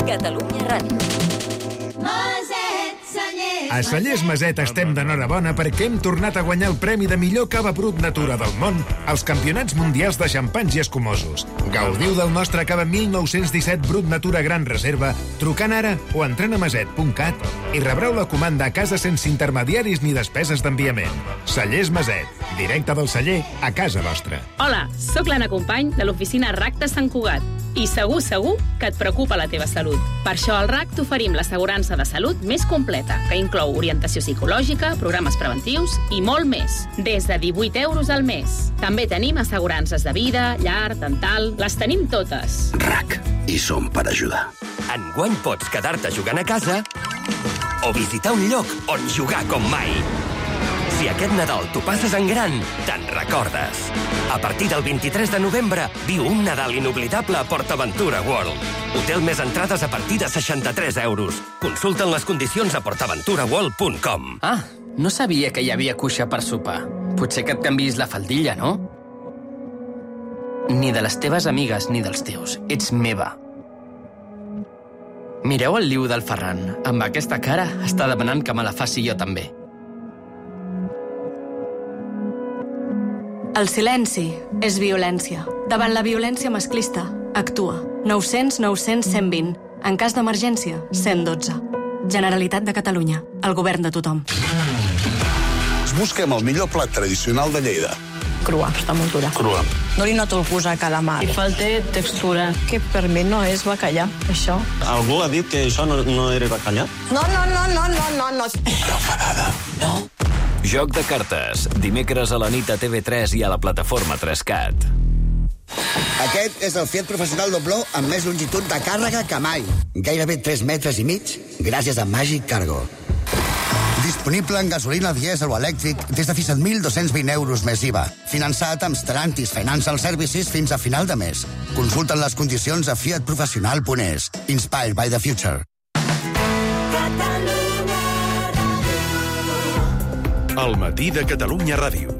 Catalunya Ràdio. A Cellers Maset estem d'enhorabona perquè hem tornat a guanyar el premi de millor cava brut natura del món als Campionats Mundials de Xampanys i Escumosos. Gaudiu del nostre cava mil nou-cents disset brut natura gran reserva trucant ara o entrant a maset punt cat i rebreu la comanda a casa sense intermediaris ni despeses d'enviament. Cellers Maset, directe del celler a casa vostra. Hola, sóc l'Anna Company de l'oficina R A C de Sant Cugat i segur, segur que et preocupa la teva salut. Per això al R A C t'oferim l'assegurança de salut més completa, que inclou orientació psicològica, programes preventius i molt més, des de divuit euros al mes. També tenim assegurances de vida, llar, dental, les tenim totes. R A C, i som per ajudar. Enguany pots quedar-te jugant a casa o visitar un lloc on jugar com mai. Si aquest Nadal t'ho passes en gran, te'n recordes. A partir del vint-i-tres de novembre, viu un Nadal inoblidable a PortAventura World. Hotel més entrades a partir de seixanta-tres euros. Consulta'n les condicions a portaventura world punt com. Ah, no sabia que hi havia cuixa per sopar. Potser que et canvis la faldilla, no? Ni de les teves amigues ni dels teus. Ets meva. Mireu el liu del Ferran. Amb aquesta cara està demanant que me la faci jo també. El silenci és violència. Davant la violència masclista, Actua. nou cents nou cents cent vint. En cas d'emergència, cent dotze. Generalitat de Catalunya. El govern de tothom. Busquem el millor plat tradicional de Lleida. Crua, està molt dura. Crua. No li noto el gust a calamar. I falta textura. Que per mi no és bacallà, això. Algú ha dit que això no, no era bacallà? No, no, no, no, no, no, no. Però enfadada. No. Joc de cartes. Dimecres a la nit a T V tres i a la plataforma tres cat. Aquest és el Fiat Professional Dobló amb més longitud de càrrega que mai. Gairebé tres metres i mig, gràcies a Magic Cargo. Disponible en gasolina, dièsel o elèctric des de fins a mil dos-cents vint euros més I V A. Finançat amb Stellantis Financial Services fins a final de mes. Consulten les condicions a fiat professional punt es. Inspired by the future. El matí de Catalunya Ràdio.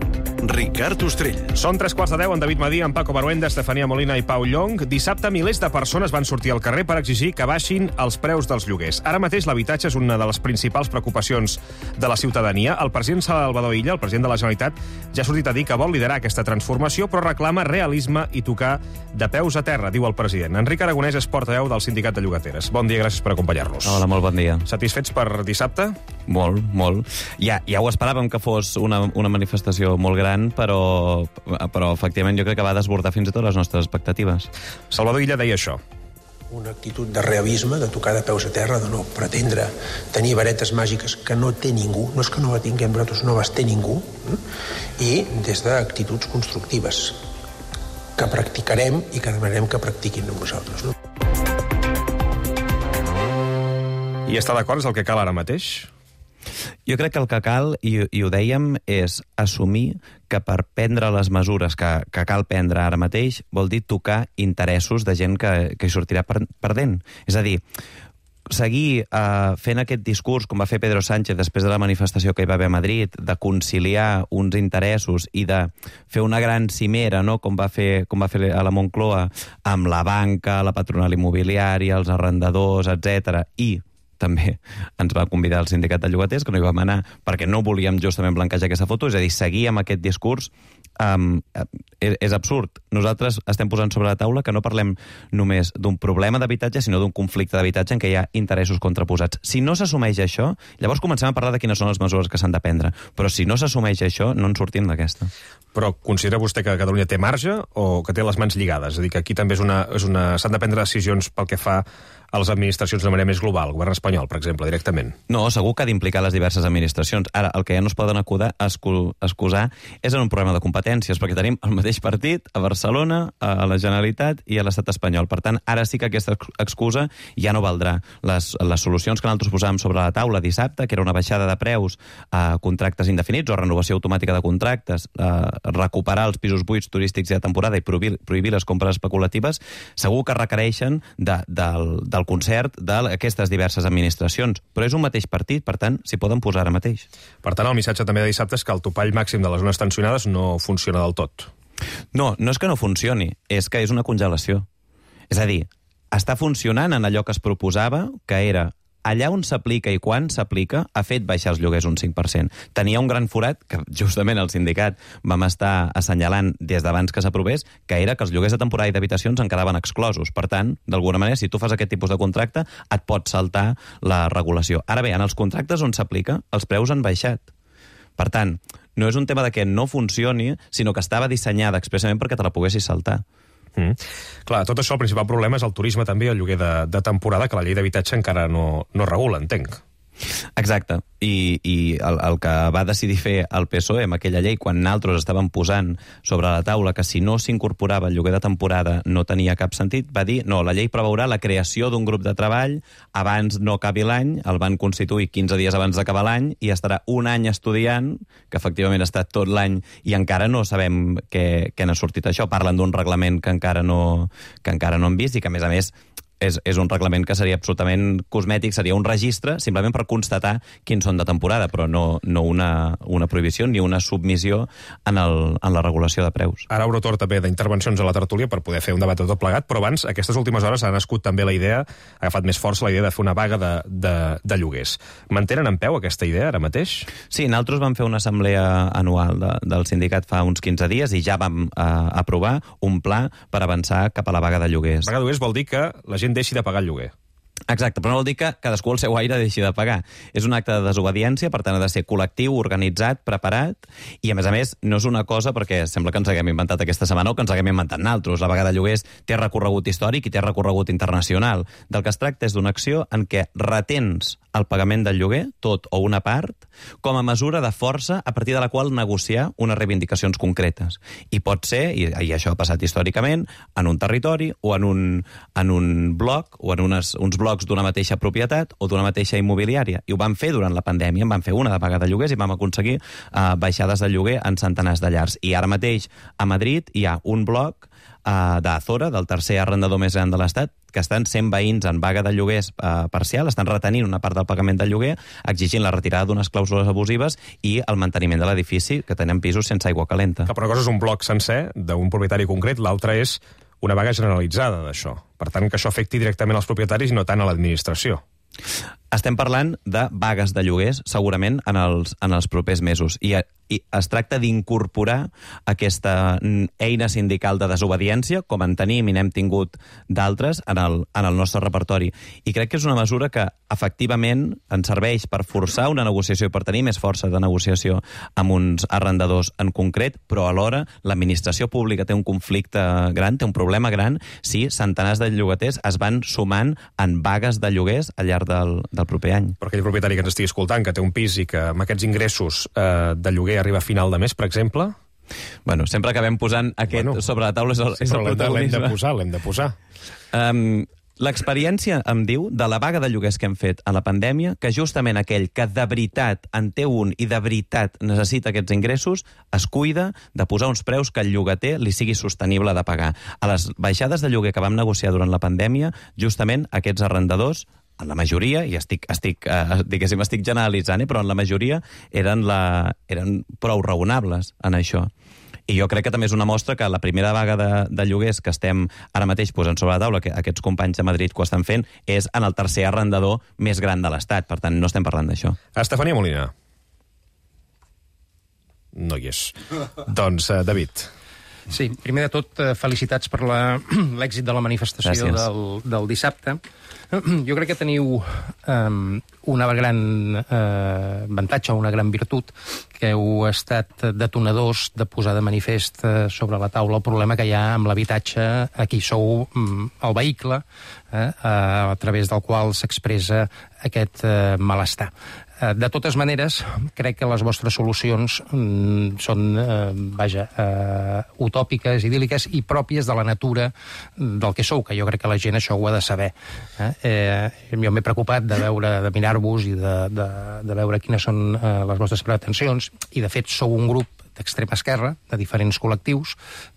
Ricard Ostrell. Són tres quarts de deu, en David Madí, en Paco Baruenda, Estefania Molina i Pau Llong. Dissabte, milers de persones van sortir al carrer per exigir que baixin els preus dels lloguers. Ara mateix l'habitatge és una de les principals preocupacions de la ciutadania. El president Salvador Illa, el president de la Generalitat, ja ha sortit a dir que vol liderar aquesta transformació, però reclama realisme i tocar de peus a terra, diu el president. Enric Aragonès és portaveu del Sindicat de Llogateres. Bon dia, gràcies per acompanyar-nos. Hola, molt bon dia. Satisfets per dissabte? Molt, molt. Ja, ja ho esperàvem que fos una, una manifestació molt gran, però, però efectivament jo crec que va desbordar fins i tot les nostres expectatives. Salvador Illa deia això. Una actitud de realisme, de tocar de peus a terra, de no pretendre tenir varetes màgiques que no té ningú, no és que no la tinguem nosaltres, no les té ningú, eh? I des d'actituds constructives que practicarem i que demanarem que practiquin amb nosaltres. No? I està d'acord, és el que cal ara mateix? Jo crec que el que cal, i, i ho dèiem, és assumir que per prendre les mesures que, que cal prendre ara mateix vol dir tocar interessos de gent que, que hi sortirà perdent. És a dir, seguir eh, fent aquest discurs, com va fer Pedro Sánchez després de la manifestació que hi va haver a Madrid, de conciliar uns interessos i de fer una gran cimera, no? com, va fer, com va fer a la Moncloa, amb la banca, la patronal immobiliària, els arrendadors, etcètera, i també ens va convidar el sindicat de llogaters, que no hi vam anar perquè no volíem justament blanquejar aquesta foto, és a dir, seguir amb aquest discurs um, és, és absurd. Nosaltres estem posant sobre la taula que no parlem només d'un problema d'habitatge, sinó d'un conflicte d'habitatge en què hi ha interessos contraposats. Si no s'assumeix això, llavors comencem a parlar de quines són les mesures que s'han de prendre. Però si no s'assumeix això, no en sortim d'aquesta. Però considera vostè que Catalunya té marge o que té les mans lligades? És a dir, que aquí també és una, és una, s'han de prendre decisions pel que fa a les administracions de manera més global, el govern espanyol, per exemple, directament. No, segur que ha d'implicar les diverses administracions. Ara, el que ja no es poden acudar, escu, excusar és en un problema de competències, perquè tenim el mateix partit a Barcelona, a la Generalitat i a l'estat espanyol. Per tant, ara sí que aquesta excusa ja no valdrà. Les, les solucions que nosaltres posàvem sobre la taula dissabte, que era una baixada de preus a contractes indefinits o renovació automàtica de contractes, a recuperar els pisos buits turístics i de temporada i prohibir, prohibir les compres especulatives, segur que requereixen de, del, del concert d'aquestes diverses administracions. Però és un mateix partit, per tant, s'hi poden posar ara mateix. Per tant, el missatge també de dissabte és que el topall màxim de les zones tensionades no funciona del tot. No, no és que no funcioni, és que és una congelació. És a dir, està funcionant en allò que es proposava, que era allà on s'aplica i quan s'aplica, ha fet baixar els lloguers un cinc per cent. Tenia un gran forat, que justament el sindicat vam estar assenyalant des d'abans que s'aprovés, que era que els lloguers de temporada i d'habitacions en quedaven exclosos. Per tant, d'alguna manera, si tu fas aquest tipus de contracte, et pot saltar la regulació. Ara bé, en els contractes on s'aplica, els preus han baixat. Per tant, no és un tema de que no funcioni, sinó que estava dissenyada expressament perquè te la poguessis saltar. Mm. Clar, tot això, el principal problema és el turisme també, el lloguer de, de temporada, que la llei d'habitatge encara no, no regula, entenc. Exacte, i, i el, el que va decidir fer el P S O E amb aquella llei, quan nosaltres estàvem posant sobre la taula que si no s'incorporava el lloguer de temporada no tenia cap sentit, va dir, no, la llei preveurà la creació d'un grup de treball abans no acabi l'any, el van constituir quinze dies abans d'acabar l'any i estarà un any estudiant, que efectivament ha estat tot l'any i encara no sabem què, què n'ha sortit això. Parlen d'un reglament que encara no, que encara no hem vist i que, a més a més, és, és un reglament que seria absolutament cosmètic, seria un registre simplement per constatar quins són de temporada, però no, no una, una prohibició ni una submissió en, el, en la regulació de preus. Ara obro torn també d'intervencions a la tertúlia per poder fer un debat de tot plegat, però abans, aquestes últimes hores ha nascut també la idea, ha agafat més força la idea de fer una vaga de, de, de lloguers. Mantenen en peu aquesta idea ara mateix? Sí, nosaltres vam fer una assemblea anual de, del sindicat fa uns quinze dies i ja vam eh, aprovar un pla per avançar cap a la vaga de lloguers. Vaga de lloguers vol dir que la gent deixi de pagar el lloguer. Exacte, però no vol dir que cadascú al seu aire deixi de pagar. És un acte de desobediència, per tant ha de ser col·lectiu, organitzat, preparat, i a més a més no és una cosa perquè sembla que ens haguem inventat aquesta setmana o que ens haguem inventat naltros. La vaga de lloguers té recorregut històric i té recorregut internacional. Del que es tracta és d'una acció en què retens el pagament del lloguer, tot o una part, com a mesura de força a partir de la qual negociar unes reivindicacions concretes. I pot ser, i, i això ha passat històricament, en un territori o en un, en un bloc o en unes, uns blocs d'una mateixa propietat o d'una mateixa immobiliària. I ho vam fer durant la pandèmia, en vam fer una de vaga de lloguers i vam aconseguir uh, baixades de lloguer en centenars de llars. I ara mateix a Madrid hi ha un bloc uh, d'Azora, del tercer arrendador més gran de l'Estat, que estan cent veïns en vaga de lloguers eh, parcial, estan retenint una part del pagament del lloguer, exigint la retirada d'unes clàusules abusives i el manteniment de l'edifici, que tenen pisos sense aigua calenta. Que per una cosa és un bloc sencer d'un propietari concret, l'altra és una vaga generalitzada d'això. Per tant, que això afecti directament als propietaris i no tant a l'administració. Estem parlant de vagues de lloguers, segurament, en els, en els propers mesos. I, i es tracta d'incorporar aquesta eina sindical de desobediència, com en tenim i n'hem tingut d'altres, en, el, en el nostre repertori. I crec que és una mesura que, efectivament, ens serveix per forçar una negociació i per tenir més força de negociació amb uns arrendadors en concret, però alhora l'administració pública té un conflicte gran, té un problema gran, si centenars de llogaters es van sumant en vagues de lloguers al llarg del, del proper any. Per aquell propietari que ens estigui escoltant, que té un pis i que amb aquests ingressos eh, de lloguer arriba a final de mes, per exemple... Bueno, sempre acabem posant aquest bueno, sobre la taula és el, sí, és el protagonisme. L'hem de posar, l'hem de posar. Um, L'experiència em diu de la vaga de lloguers que hem fet a la pandèmia que justament aquell que de veritat en té un i de veritat necessita aquests ingressos es cuida de posar uns preus que el llogater li sigui sostenible de pagar. A les baixades de lloguer que vam negociar durant la pandèmia, justament aquests arrendadors, en la majoria, i estic, estic, eh, diguéssim, estic generalitzant, eh, però en la majoria eren, la, eren prou raonables en això. I jo crec que també és una mostra que la primera vaga de, de lloguers que estem ara mateix posant sobre la taula, que aquests companys de Madrid que ho estan fent, és en el tercer arrendador més gran de l'Estat. Per tant, no estem parlant d'això. Estefania Molina. No hi és. Doncs, uh, David. Sí, primer de tot, felicitats per l'èxit de la manifestació del, del dissabte. Jo crec que teniu um, una gran uh, avantatge, una gran virtut, que heu estat detonadors de posar de manifest uh, sobre la taula el problema que hi ha amb l'habitatge. Aquí sou um, el vehicle eh, a, a través del qual s'expressa aquest uh, malestar. De totes maneres, crec que les vostres solucions mm, són, eh, vaja, eh, utòpiques, idíl·liques i pròpies de la natura del que sou, que jo crec que la gent això ho ha de saber. Eh? Eh, jo m'he preocupat de veure, de mirar-vos i de, de, de veure quines són eh, les vostres pretensions, i de fet sou un grup d'extrema esquerra, de diferents col·lectius,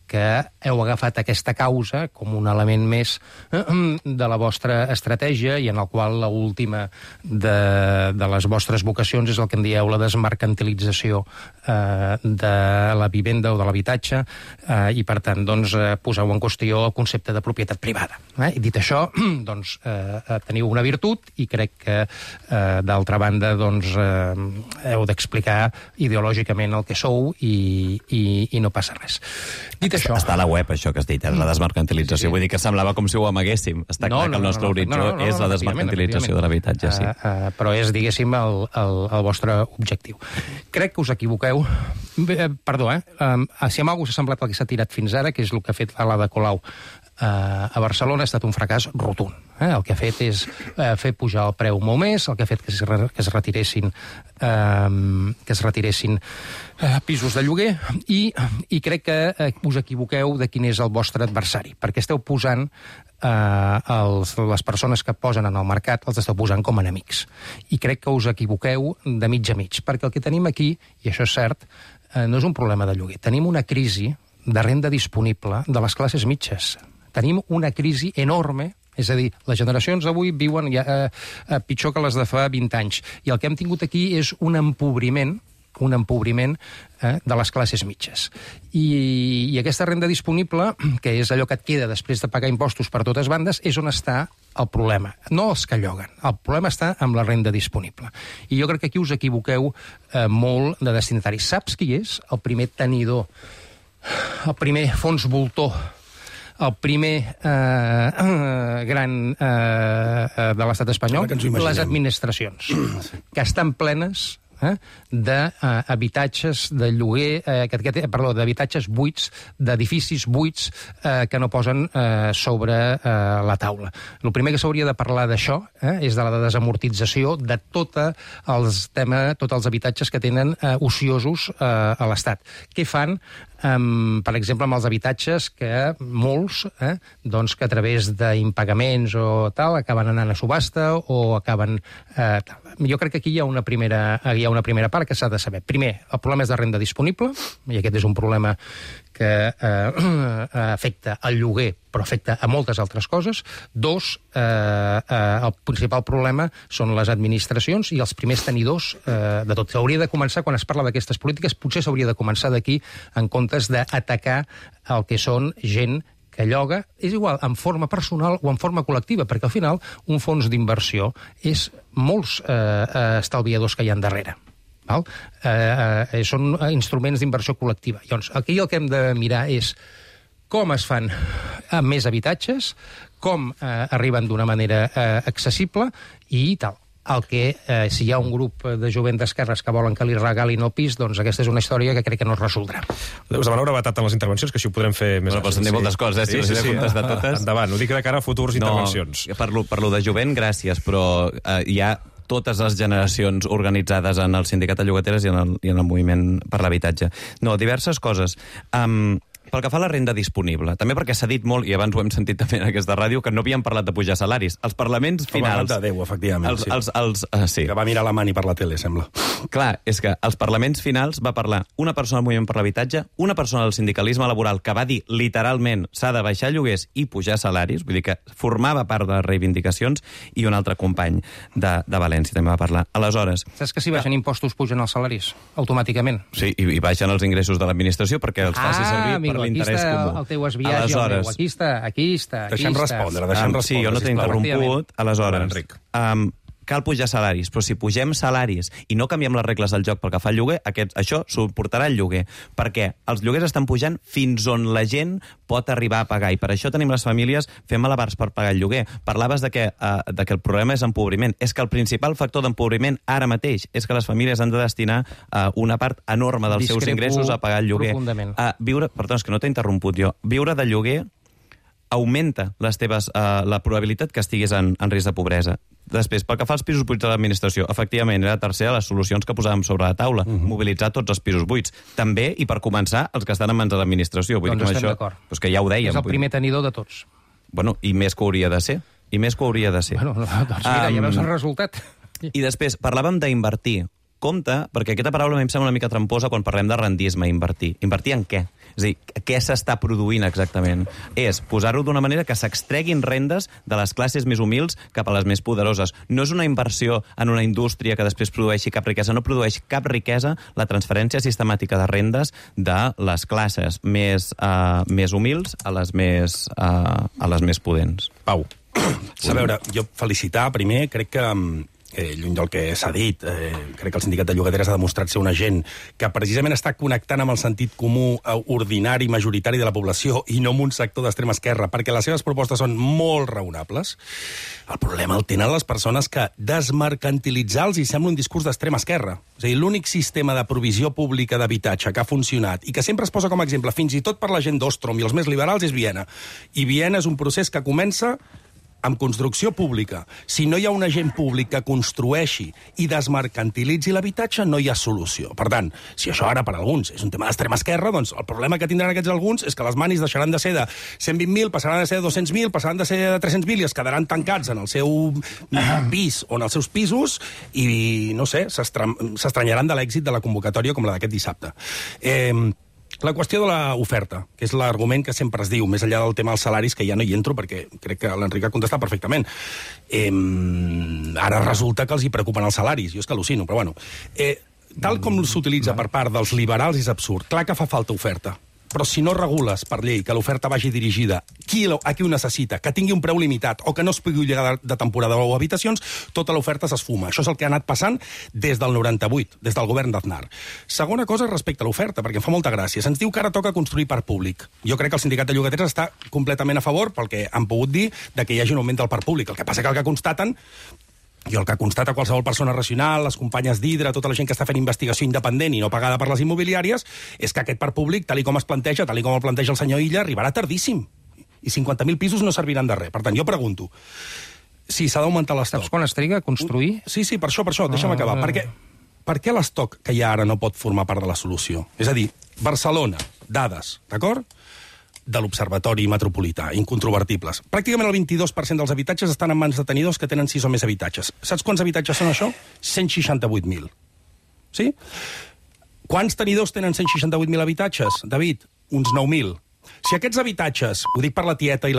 que heu agafat aquesta causa com un element més de la vostra estratègia i en el qual l'última de, de les vostres vocacions és el que en dieu la desmercantilització eh, de la vivenda o de l'habitatge eh, i, per tant, doncs, eh, poseu en qüestió el concepte de propietat privada. Eh? I dit això, doncs, eh, teniu una virtut i crec que, eh, d'altra banda, doncs, eh, heu d'explicar ideològicament el que sou i, i, i no passa res. Dit això... Està a la web, això que has dit, és la desmercantilització. Sí, sí. Vull dir que semblava com si ho amaguéssim. Està no, clar no, que el nostre no, no, horitzó no, no, no, és la no, desmercantilització de l'habitatge, sí. Uh, uh, però és, diguéssim, el, el, el vostre objectiu. Crec que us equivoqueu. Bé, perdó, eh? Um, si amb alguna cosa s'ha semblat el que s'ha tirat fins ara, que és el que ha fet l'Ada Colau uh, a Barcelona, ha estat un fracàs rotund. Eh? El que ha fet és uh, fer pujar el preu molt més, el que ha fet que es, re, que es retiressin, uh, que es retiressin uh, pisos de lloguer, i, i crec que uh, us equivoqueu de quin és el vostre adversari, perquè esteu posant uh, els, les persones que posen en el mercat, els esteu posant com a enemics. I crec que us equivoqueu de mig a mig, perquè el que tenim aquí, i això és cert, uh, no és un problema de lloguer. Tenim una crisi de renda disponible de les classes mitges. Tenim una crisi enorme És a dir, les generacions d'avui viuen ja, eh, eh, pitjor que les de fa vint anys. I el que hem tingut aquí és un empobriment un empobriment eh, de les classes mitges. I, I aquesta renda disponible, que és allò que et queda després de pagar impostos per totes bandes, és on està el problema. No els que lloguen. El problema està amb la renda disponible. I jo crec que aquí us equivoqueu eh, molt de destinataris. Saps qui és el primer tenidor, el primer fons voltor, el primer eh, eh, gran eh, de l'estat espanyol? Les administracions, que estan plenes Eh, d'habitatges de, uh, de lloguer, eh, que, que, perdó, d'habitatges buits, d'edificis buits eh, que no posen eh, sobre eh, la taula. El primer que s'hauria de parlar d'això eh, és de la desamortització de tota els tema, tots els habitatges que tenen eh, ociosos eh, a l'Estat. Què fan? Um, per exemple, amb els habitatges que molts, eh, doncs que a través d'impagaments o tal, acaben anant a subhasta o acaben... Eh, tal. Jo crec que aquí hi ha una primera, hi ha una primera part que s'ha de saber. Primer, el problema és de renda disponible, i aquest és un problema que eh, afecta el lloguer, però afecta a moltes altres coses. Dos, eh, eh, el principal problema són les administracions i els primers tenidors eh, de tot. S'hauria de començar, quan es parla d'aquestes polítiques, potser s'hauria de començar d'aquí, en comptes d'atacar el que són gent que lloga, és igual, en forma personal o en forma col·lectiva, perquè al final un fons d'inversió és molts eh, eh, estalviadors que hi ha darrere. Val? Eh, eh, són instruments d'inversió col·lectiva. Llavors, aquí el que hem de mirar és com es fan amb més habitatges, com eh, arriben d'una manera eh, accessible i tal. El que, eh, si hi ha un grup de jovent d'esquerres que volen que li regalin el pis, doncs aquesta és una història que crec que no es resoldrà. Us demano brevetat en les intervencions, que així ho podrem fer més... Bueno, però s'han dit moltes coses, eh? Si sí, sí, sí. De totes. Endavant, ho dic de cara a futurs no, intervencions. Per lo, per lo de jovent, gràcies, però eh, hi ha totes les generacions organitzades en el sindicat de llogateres i en el, i en el moviment per l'habitatge. No, diverses coses. Um, Pel que fa a la renda disponible, també perquè s'ha dit molt, i abans ho hem sentit també en aquesta ràdio, que no havíem parlat de pujar salaris. Els parlaments finals... El de Déu, efectivament. Els, sí. els, els, uh, sí. Que va mirar la mani per la tele, sembla. Clar, és que als parlaments finals va parlar una persona del moviment per l'habitatge, una persona del sindicalisme laboral que va dir literalment s'ha de baixar lloguers i pujar salaris, vull dir que formava part de les reivindicacions, i un altre company de, de València també va parlar. Aleshores... Saps que si baixen impostos pugen els salaris? Automàticament. Sí, i, i baixen els ingressos de l'administració perquè els faci ah, servir amigo, per l'interès comú. El teu esbiatge, el meu. Aquí està, aquí està. Aquí deixem està. respondre, deixem um, respondre. Sí, jo no t'he interromput. Aleshores, Enric. Um, cal pujar salaris, però si pugem salaris i no canviem les regles del joc pel que fa al lloguer, aquest, això suportarà el lloguer, perquè els lloguers estan pujant fins on la gent pot arribar a pagar, i per això tenim les famílies fent malabars per pagar el lloguer. Parlaves de que, uh, de que el problema és empobriment. És que el principal factor d'empobriment ara mateix és que les famílies han de destinar uh, una part enorme dels Discrepo seus ingressos a pagar el lloguer. Uh, viure, perdó, és que no t'he interromput jo. Viure de lloguer augmenta les teves, uh, la probabilitat que estiguis en, en risc de pobresa. Després, pel que fa als pisos buits de l'administració, efectivament, era la tercera de les solucions que posàvem sobre la taula, uh -huh. mobilitzar tots els pisos buits. També, i per començar, els que estan en mans de l'administració. Vull doncs dir, estem això, d'acord. Doncs que ja ho dèiem. És el primer tenidor de tots. Bueno, i més que hauria de ser. I més que hauria de ser. Bueno, doncs mira, um, ja veus el resultat. I després, parlàvem d'invertir. Compte, perquè aquesta paraula a mi em sembla una mica tramposa quan parlem de rendisme, invertir. Invertir en què? És a dir, què s'està produint exactament? És posar-ho d'una manera que s'extreguin rendes de les classes més humils cap a les més poderoses. No és una inversió en una indústria que després produeixi cap riquesa, no produeix cap riquesa la transferència sistemàtica de rendes de les classes més, uh, més humils a les més, uh, a les més pudents. Pau. A veure, jo felicitar primer, crec que... Eh, lluny del que s'ha dit, eh, crec que el sindicat de llogateres ha demostrat ser una gent que precisament està connectant amb el sentit comú ordinari, majoritari de la població i no amb un sector d'extrema esquerra, perquè les seves propostes són molt raonables. El problema el tenen les persones que desmercantilitzar-los i sembla un discurs d'extrema esquerra. És a dir, l'únic sistema de provisió pública d'habitatge que ha funcionat i que sempre es posa com a exemple, fins i tot per la gent d'Ostrom i els més liberals, és Viena. I Viena és un procés que comença amb construcció pública. Si no hi ha un agent públic que construeixi i desmercantilitzi l'habitatge, no hi ha solució. Per tant, si això ara per alguns és un tema d'extrema esquerra, doncs el problema que tindran aquests alguns és que les manis deixaran de ser de cent vint mil, passaran a ser de dos-cents mil, passaran de ser de tres-cents mil i es quedaran tancats en el seu pis o en els seus pisos i, no sé, s'estranyaran de l'èxit de la convocatòria com la d'aquest dissabte. Eh... La qüestió de l'oferta, que és l'argument que sempre es diu, més enllà del tema dels salaris, que ja no hi entro perquè crec que l'Enric ha contestat perfectament. Eh, ara resulta que els hi preocupen els salaris, jo és que al·lucino, però bueno. Eh, tal com s'utilitza per part dels liberals és absurd. Clar que fa falta oferta, però si no regules per llei que l'oferta vagi dirigida qui, a qui ho necessita, que tingui un preu limitat o que no es pugui llegar de temporada o habitacions, tota l'oferta s'esfuma. Això és el que ha anat passant des del noranta-vuit, des del govern d'Aznar. Segona cosa respecte a l'oferta, perquè em fa molta gràcia. Se'ns diu que ara toca construir parc públic. Jo crec que el sindicat de llogateres està completament a favor, pel que han pogut dir, de que hi hagi un augment del parc públic. El que passa que el que constaten jo el que constata qualsevol persona racional, les companyes d'Hidra, tota la gent que està fent investigació independent i no pagada per les immobiliàries, és que aquest parc públic, tal i com es planteja, tal i com el planteja el senyor Illa, arribarà tardíssim. I cinquanta mil pisos no serviran de res. Per tant, jo pregunto, si s'ha d'augmentar l'estoc... Saps quan es triga a construir? Sí, sí, per això, per això, deixa'm acabar. Per què, per què l'estoc que hi ha ara no pot formar part de la solució? És a dir, Barcelona, dades, d'acord?, de l'Observatori Metropolità, incontrovertibles. Pràcticament el vint-i-dos per cent dels habitatges estan en mans de tenidors que tenen sis o més habitatges. Saps quants habitatges són això? cent seixanta-vuit mil. Sí? Quants tenidors tenen cent seixanta-vuit mil habitatges, David? Uns nou mil. Si aquests habitatges, ho dic per la tieta i la